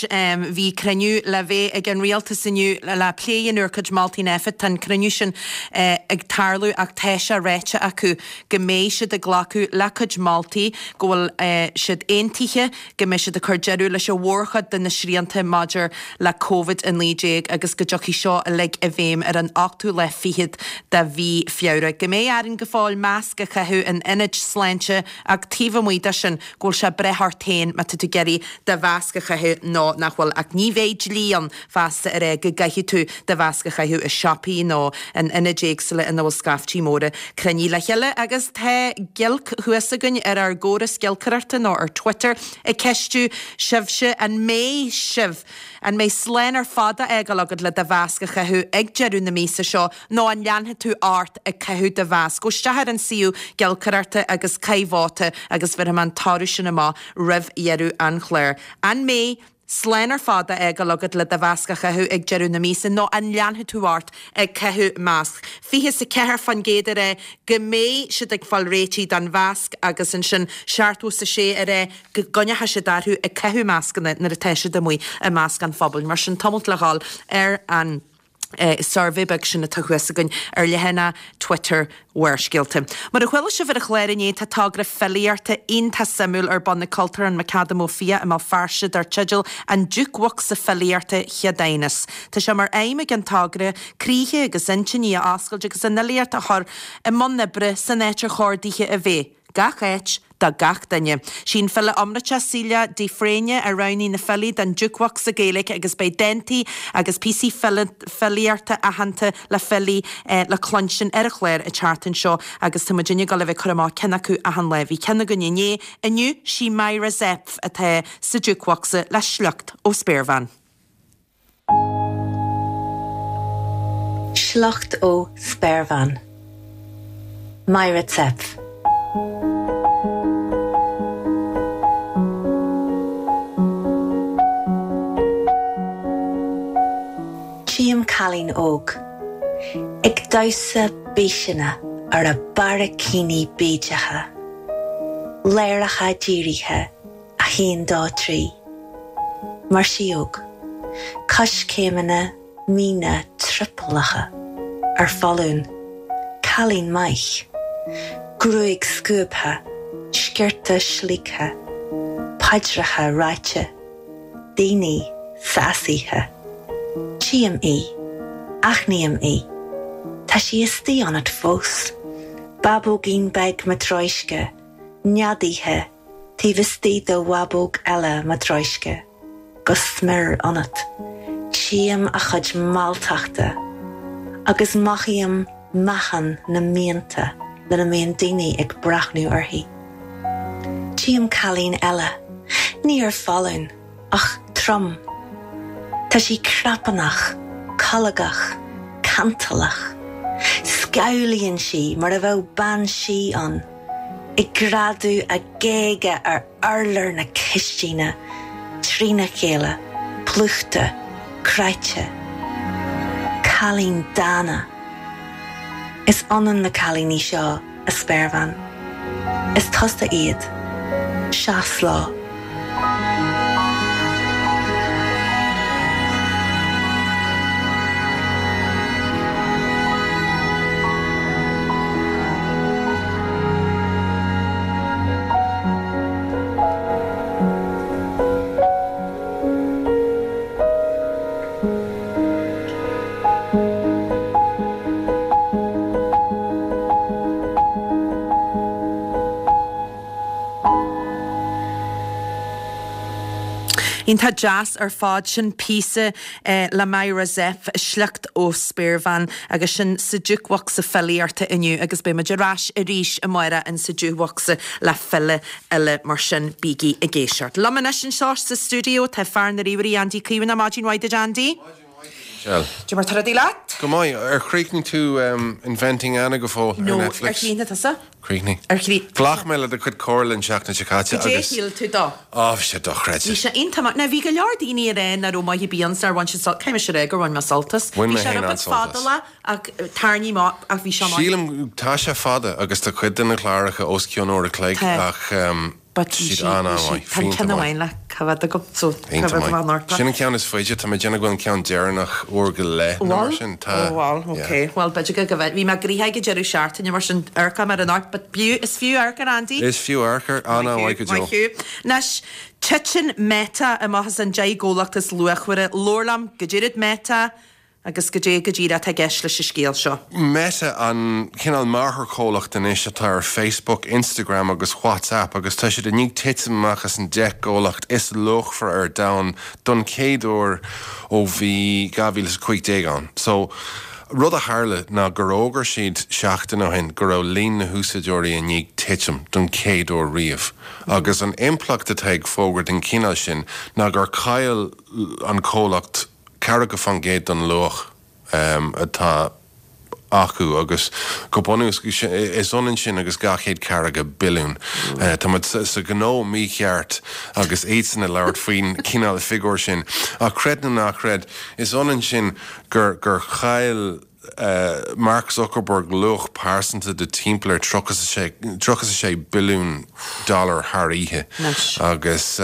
A: bhí cruinniú le bheith ag an Rialtas inniu le plé a dhéanamh ar chuid moltaí Nphet. Tá an cruinniú sin ag tarlú ach tá sé ráite acu go mbeidh siad ag glacadh le cuid moltaí, go bhfuil siad aontaithe go mbeidh siad ag cur deireadh leis an mhórchuid de na srianta maidir le Covid-19 agus go dtiocfaidh seo uilig i bhfeidhm ar an ochtú lá fichead de mhí Feabhra. Go mbeidh orainn go fóill masc a chaitheamh in ionaid sláinte ach taobh amuigh de sin go bhfuil sé ag brath ort féin má tá tú ag iarraidh do mhasc a chaitheamh nó nach bhfuil ach ní bheidh dlí ann feasta a rá go gcaithfidh tú do mhasc a chaitheamh i siopaí nó in ionaid éagsúla ina bhfuil scaiftí móra cruinnithe le chéile agus tá giolc thuas againn ar ár gcóras giolcaireachta nó ar Twitter ag ceistiú sibhse an mbeidh sibh an mbeidh slán ar fad á fhágáil agat le do mhasc a chaitheamh ag deireadh na míosa seo nó an leanfaidh tú ort ag caitheamh do mhasc? Gabh isteach ar an suíomh giolcaireachta agus caith vóta agus bhéarfaidh mé an toradh sin amach roimh dheireadh an chláir. An mbeidh slán ar fad á fhágáil agat le do mhasc a chaitheamh ag deireadh na míosa nó an leanfaidh tú ort ag caitheamh masc? 24% ag rá go mbeidh siad ag fáil réitithe don mhasc agus ansin 76 ag rá go gcoinneoidh siad orthu ag caitheamh mascanna nuair atá siad amuigh i measc an phobail. Mar sin, tamalt le dhul ar an suirbhé beag sin atá thuas againn ar leathanach Twitter Bharrscéalta. Mar a chuala sibh ar an chlár inné, tá togra filíochta iontach suimiúil ar bun ag Cultúrlann McAdam Ó Fiaich i mBéal Feirste dar teideal An Jukebhocsa Filíochta Cheadúnas. Tá sé mar aidhm ag an togra croíthe agus intinní a oscailt agus an fhilíocht a chur i mbun oibre san áit ar chóir dithe a bheith. Gach áit, do gach duine. Sí an file iomráiteach Celia de Fréine a roghnaigh na filí don Jukebhocsa Gaeilge agus beidh dántaí agus píosaí filíochta aitheanta le filí le cluinstin ar an chlár an tseachtain seo agus tá muidinne ag dul a bheith ag cur amach ceann acu achan lá. Bhí ceann againn inné, inniu sí Myra Zepf atá sa Jukebhocsa le sliocht ó Spéirbhean.
G: Sliocht ó Spéirbhean. Myra Zepf. Tchím cailín óg ag damhsa bíseanna ar a barraicíní bídeacha, láracha dírithe 1, 2, 3. Mar síóg. Coiscéimeanna míne triopallacha. Ar foluain. Cailín maith. Gruaig scuabtha. Sciorta slíoctha. Paidreacha ráite. Daoine sásaithe. Tchím í. Aithním í. Tá sí istigh ionat fós. Bábóigín beag matróisce. Neadaithe. Taobh istigh de bhábóg eile matróisce, go smior ionat, tchím a chuid mealltachta agus mothaím meáchan na mianta lena mbíonn daoine ag breathnú uirthi. Tchím cailín eile, ní ar foluain, ach trom. Tá sí crapánach, colgach, cantalach. Scamhlaíonn sí mar a bheadh bean sí ann. ag greadadh a géaga ar urlár na cistine trína chéile, plúchta, cráite. Cailín dána. Is ionann na cailíní seo, a spéirbhean. Is tusa iad. Seas leo.
A: Iontach deas ar fad sin píosa le Myra Zepf, sliocht ó Spéirbhean agus sin sa Jukebhocsa Filíochta inniu agus beidh muid ar ais arís amárach in sa Jukebhocsa le file eile mar sin bígí ag éisteacht. Liom anois anseo sa stiúideo tá fear na ríomhairí Andy Caomhánach. Maidin mhaith duit Andy.
B: Maidin mhaith duit Michelle.
A: Cad é mar tá rudaí leat?
H: Go maith. Ar chríochnaigh tú Inventing Anna go fóill ar
A: No, ar
H: Netflix?
A: chríochnaigh tusa?
H: Chríochnaigh.
A: Ar chríochnaigh?
H: Ghlac mé le do chuid comhairle an tseachtain seo caite
A: Goidé a
H: agus.
A: shíl tú dó?
H: Á, bhí sé dochreidte.
A: Bhí sé iontach maith. Now bhí go leor daoine ag rá nach raibh maith ar bith ann 's nár bhain siad sult, caithfidh mise a rá gur bhain mé sult as.
H: Bhain
A: Bhí
H: mé
A: sé
H: féin
A: rud beag
H: an-sult as.
A: fadálach ach tarraingthe amach ach bhí sé maith.
H: Sílim, tá sé fada agus tá cuid de na cláracha os cionn uair a chloig
A: Tá.
H: ach
A: But
H: tá
A: bhí
H: siad
A: sí, bhí sí,
H: an-an-mhaith,
A: tá an
H: iontach
A: ceann
H: maith.
A: amháin le coimhéad agam so
H: Iontach
A: coimhéad
H: maith.
A: amach anocht.
H: Sin an ceann is faide, tá mé ag déanamh go bhfuil an ceann deireanach uair go leith nó mar
A: Bhfuil?
H: sin, tá,
A: Ó bhfuil,
H: yeah.
A: ok. Bhuel b'fhéidir go go bhí mé gnoitheach ag an deireadh seachtaine mar sin amharcfaidh mé air anocht but b'fhiú, is fiú amharc air Andy.
H: Is fiú amharc air, an-an-mhaith go deo.
A: Maith thú. Anois, titeann Meta amach as an 10 gcomhlacht is luachmhaire. Labhair liom, goidé rud Meta, Agus goidé go díreach atá i gceist leis an scéal seo.
H: Meta an cineál máthairchomhlacht anois atá ar Facebook, Instagram agus WhatsApp agus tá siad i ndiaidh titim amach as an 10 gcomhlacht is luachmhaire ar domhan don chéad uair ó bhí 2015 ann. So, rud a tharla ná gur fhógair siad seachtain ó shin go raibh líon na húsáideoirí i ndiaidh titim don chéad uair riamh agus an impleacht atá ag fógra den chineál sin ná gur chaill an comhlacht 40% den luach atá acu agus go bunúsach is ionann sin agus 240 billiún. Tá muid sa ghnó mícheart agus iadsan ag labhairt faoin chineál figiúr sin ach creid nó ná creid is ionann sin gur gur chaill Mark Zuckerberg luach pearsanta de timpeall ar 36 billiún dollar thar oíche agus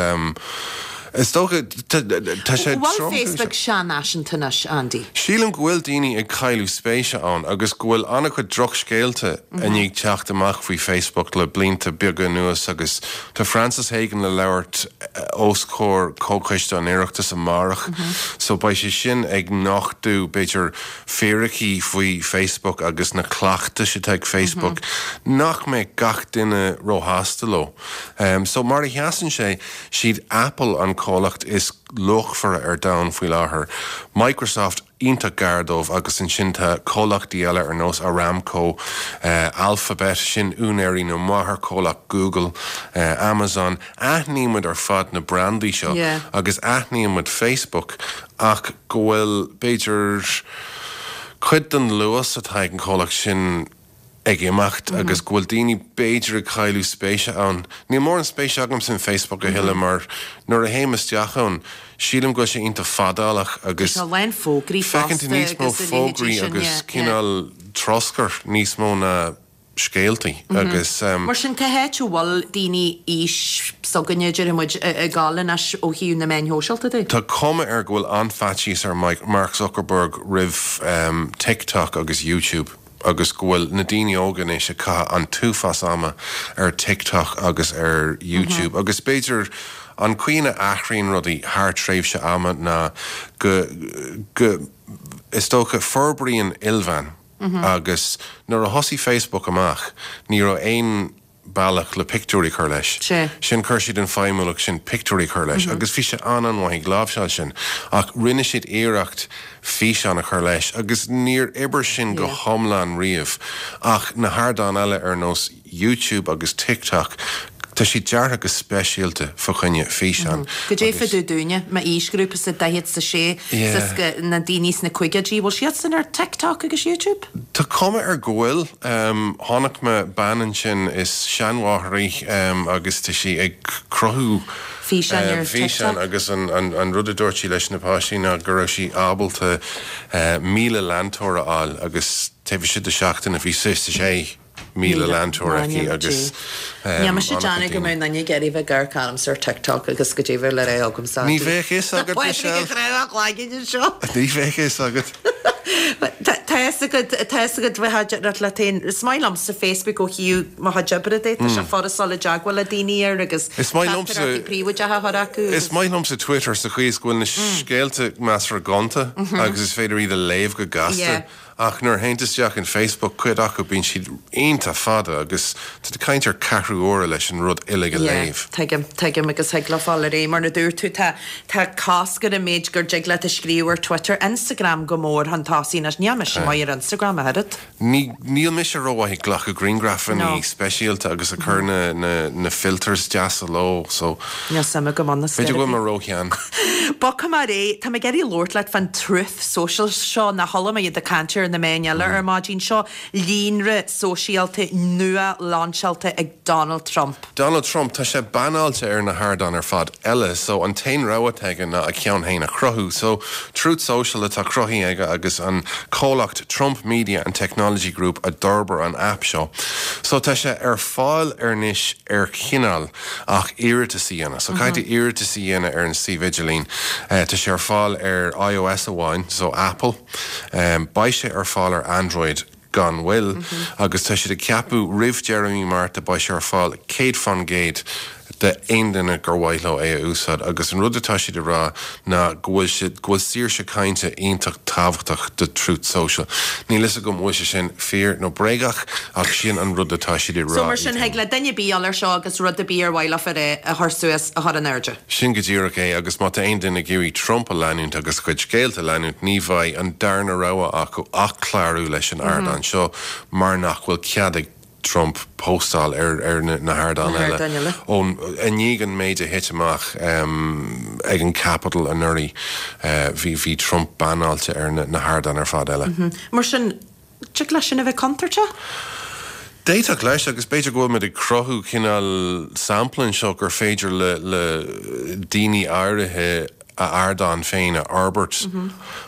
H: is dócha tá sé
A: An bhfuil Facebook seanfhaiseanta anois, Andy?
H: Sílim go bhfuil daoine ag cailleadh spéise ann agus go bhfuil an-chuid drochscéalta i ndiaidh teacht amach faoi Facebook le blianta beaga anuas agus tá Frances Haugen le labhairt os comhair Comhchoiste an Oireachtais amárach so beidh sé sin ag nochtadh b'fhéidir fíricí faoi Facebook agus na cleachtais atá ag Facebook nach mbeadh gach duine róshásta leo. So mar a sheasann sé, siad Apple an comhlacht is luachmhaire ar domhan faoi láthair, Microsoft iontach gar dóibh agus ansin tá comhlachtaí eile ar nós Aramco, Alphabet, sin úinéirí nó máthairchomhlacht Google, Amazon. Aithníonn muid ar fad na brandaí seo agus aithníonn muid Facebook ach go bhfuil, b'fhéidir, cuid den luas atá ag an chomhlacht sin ag imeacht agus go bhfuil daoine, b'fhéidir, ag cailleadh spéise ann. Níl mórán spéise agamsa in Facebook a thuilleadh mar nuair a théim isteach ann, sílim go bhfuil sé iontach fadálach agus
A: Tá a lán fógraí
H: feiceann tú
A: fosta
H: níos mó
A: agus a leithéidí
H: fógraí
A: sin,
H: agus
A: yeah, yeah.
H: cineál troscair níos mó ná scéaltaí agus.
A: Mar sin, cá háit a bhfuil daoine aois s'againne, déarfaidh muid, ag gabháil anois ó thaobh na meáin shóisialta de?
H: Tá cuma air go bhfuil an-fhaitíos ar Mark Zuckerberg roimh TikTok agus YouTube agus go bhfuil na daoine óga anois ag caitheamh an t-uafás ama ar TikTok agus ar YouTube agus b'fhéidir an chaoi ina athraíonn rudaí thar tréimhse ama ná go, go, is dócha, forbraíonn ilmheán. Agus nuair a thosaigh Facebook amach, ní raibh aon bealach le pictiúirí a chur leis. Sin, chuir siad an feidhmiúlacht sin pictiúirí a chur leis agus bhí sé an-an-mhaith ag láimhseáil sin. Ach rinne siad iarracht físeán a chur leis agus níor oibir sin go hiomlán riamh. Ach na hardáin eile ar nós. YouTube agus TikTok, tá siad deartha go speisialta fá choinne físeán
A: Goidé fá dtaobh dúinne, m'aoisghrúpa sa 46 is na daoine sna caogaidí, bhfuil siadsan ar TikTok agus YouTube?
H: Tá cuma air go bhfuil. Chonaic mé bean ansin, is seanmháthair í agus tá sí ag cruthú
A: Físeáin ar
H: físeán
A: TikTok.
H: agus an rud a dúirt sí leis na páistí ná go raibh sí ábalta 1,000 leantóir a fháil agus taobh istigh de seachtain bhí 6,000 leantóir aici agus
A: Níl mise ag déanamh go mbeadh aon duine ag iarraidh bheith ag amharc ormsa ar TikTok agus goidé bheadh le rá agamsa.
H: Ní bheadh fhios agat,
A: Michelle.
H: Ní bheadh fhios agat.
A: Tá fhios agat, tá fhios agat bheith ag leat féin. Is maith liomsa Facebook ó thaobh mo chuid oibre de, tá sé furast dul i dteagmháil le daoine air agus
H: Is maith liomsa
A: teachtaireachtaí príobháideacha a chur acu
H: Is maith liomsa Twitter sa chaoi is go bhfuil na scéalta measartha gonta agus is féidir iad a léamh go gasta. Ach nuair a théann tú isteach in Facebook, cuid acu bíonn siad iontach fada agus tá tú ag caint ar ceathrú uaire leis an rud uilig a léamh.
A: Yeah, tuigim, tuigim agus thig leo fáil ar aghaidh. Mar a dúirt tú, tá, tá cosc ar an méid gur dtig leat a scríobh ar Twitter, Instagram go mór chun tosaigh anois. Níl mise maith ar Instagram ach oiread.
H: Ní, níl mise rómhaith ag glacadh grianghrafanna
A: No.
H: speisialta agus ag cur na, na, na filters deasa leo, so.
A: Níl suim agam ann,
H: B'fhéidir go bhfuil mé róshean.
A: Bogfaidh mé ar aghaidh, tá mé ag iarraidh labhairt leat fán Truth Social seo, nach chuala mé iad ag caint ar na meáin eile ar maidin seo, líonra sóisialta nua lainseáilte ag Donald Trump.
H: Donald Trump, tá sé banáilte ar na hardáin ar fad eile, so an t-aon rogha atá aige ná a cheann féin a chruthú. So, Truth Social atá cruthaithe aige agus an comhlacht Trump Media and Technology Group a d'fhorbair an aip seo. So tá sé ar fáil anois ar chineál ach iarratas a dhéanamh. So caithfidh tú iarratas a dhéanamh ar an suíomh idirlín. Tá sé ar fáil ar iOS amháin, so Apple. Beidh sé ar fáil ar Android gan mhoill agus tá siad ag ceapadh roimh deireadh mí Márta beidh sé ar fáil 100% d'aon duine gur mhaith leo é a úsáid agus an rud atá siad ag rá ná go bhfuil siad, go bhfuil saoirse cainte iontach tábhachtach do Truth Social. Níl fhios agam an bhfuil sé sin fíor nó bréagach ach sin an rud atá siad ag
A: So
H: rá
A: mar sin thig le duine ar bith dul ar seo agus rud ar bith ar mhaith leofa a chur suas a chur in airde.
H: Sin go díreach é agus má tá aon duine ag iarraidh Trump a leanúint agus a chuid scéalta a leanúint ní bheidh an darna rogha acu ach clárú leis an ardán seo mar nach bhfuil cead ag Trump póstáil ar na hardáin eile. Ó i ndiaidh an méid a thit amach ag an Capitol anuraidh bhí Trump banáilte ar na hardáin ar fad eile.
A: Mar sin, dtig leis sin a bheith contúirteach?
H: D'fhéadfadh leis, agus b'fhéidir go bhfuil muid ag cruthú cineál sampla anseo gur féidir le le daoine áirithe a ardán féin a fhorbairt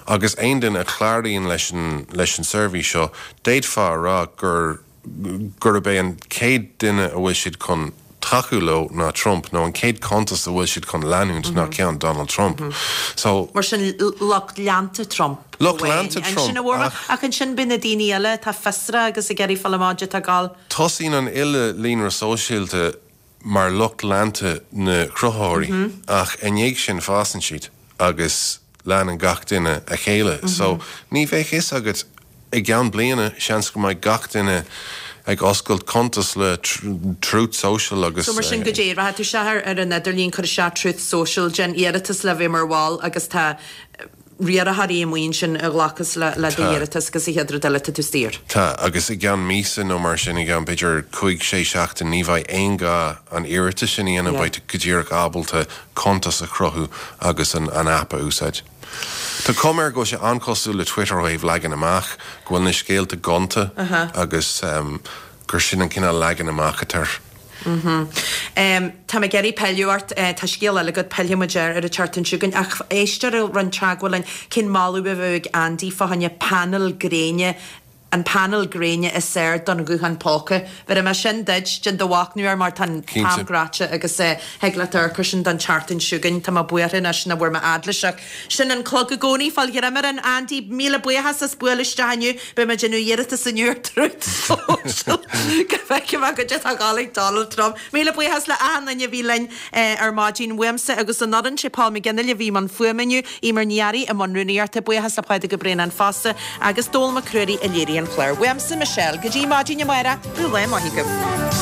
H: agus aon duine a chláraíonn leis an leis an seirbhís seo, d'fhéadfá a rá gur gurb é an chéad duine a bhfuil siad chun tacú leo ná Trump, nó an chéad cuntas a bhfuil siad chun leanúint ná ceann Donald Trump. So.
A: Mar sin, lucht leanta Trump
H: Lucht leanta
A: Trump,
H: ach.
A: Ach ansin beidh na daoine eile atá fiosrach agus ag iarraidh fáil amach caidé atá ag gabháil.
H: Tosaíonn an uile líonra sóisialta mar lucht leanta na cruthaitheoirí, ach i ndiaidh sin fásann siad agus leanann gach duine a chéile. So ní bheadh fhios agat i gceann bliana, seans go mbeidh gach duine ag oscailt cuntas le Truth Social agus.
A: So mar sin goidé, rachaidh tú isteach ar an idirlíon, cuir isteach Truth Social, déan iarratas le bheith mar bhall agus tá riarthóirí amuigh ansin a ghlacfas le d'iarratas agus an chéad rud eile tá tú saor.
H: Tá, agus i gceann míosa nó mar sin, i gceann b'fhéidir cúig, sé seachtain, ní bheidh aon ghá an iarratas sin a dhéanamh, beidh tú go díreach ábalta cuntas a chruthú agus an aip a úsáid. Tá cuma air go bhfuil sé an-chosúil le Twitter ó thaobh leagan amach, go bhfuil na scéalta gonta agus gur sin an cineál leagan amach atá air.
A: Tá mé ag iarraidh pilleadh ort, tá scéal eile agat, pillfidh muid air ar an tseachtain seo chugainn, ach éisteoir a rinne teagmháil linn, cén moladh a bheadh ag Andy fá choinne painéal gréine, an painéal gréine is fearr don ghuthán póca. Bhéarfaidh mé sin duit, déan do mhachnamh air mar tá an t-am gnóite agus thig leat amharc air sin don tseachtain seo chugainn. Tá mé buartha anois nach bhfuair mé fhad leis ach sin an clog i gcónaí. Fáil ghreim orainn Andy, míle buíochas as bualadh isteach inniu. Beidh mé ag déanamh iarratas inniu ar Truth Social go bhfeicfidh mé goidé atá ag gabháil ag Donald Trump. Míle buíochas le achan duine a bhí linn ar maidin uaimse agus an fhoireann, sé Paul McGinley a bhí i mbun fuaime inniu, Eimear Ní Fhearraigh i mbun rúnaíochta, buíochas le Pádraig Ó Braonáin fosta agus Dónal Mac Ruairí a léirigh an clár. Uaimse, Michelle, go dtí maidin amárach, bíodh lá maith agaibh.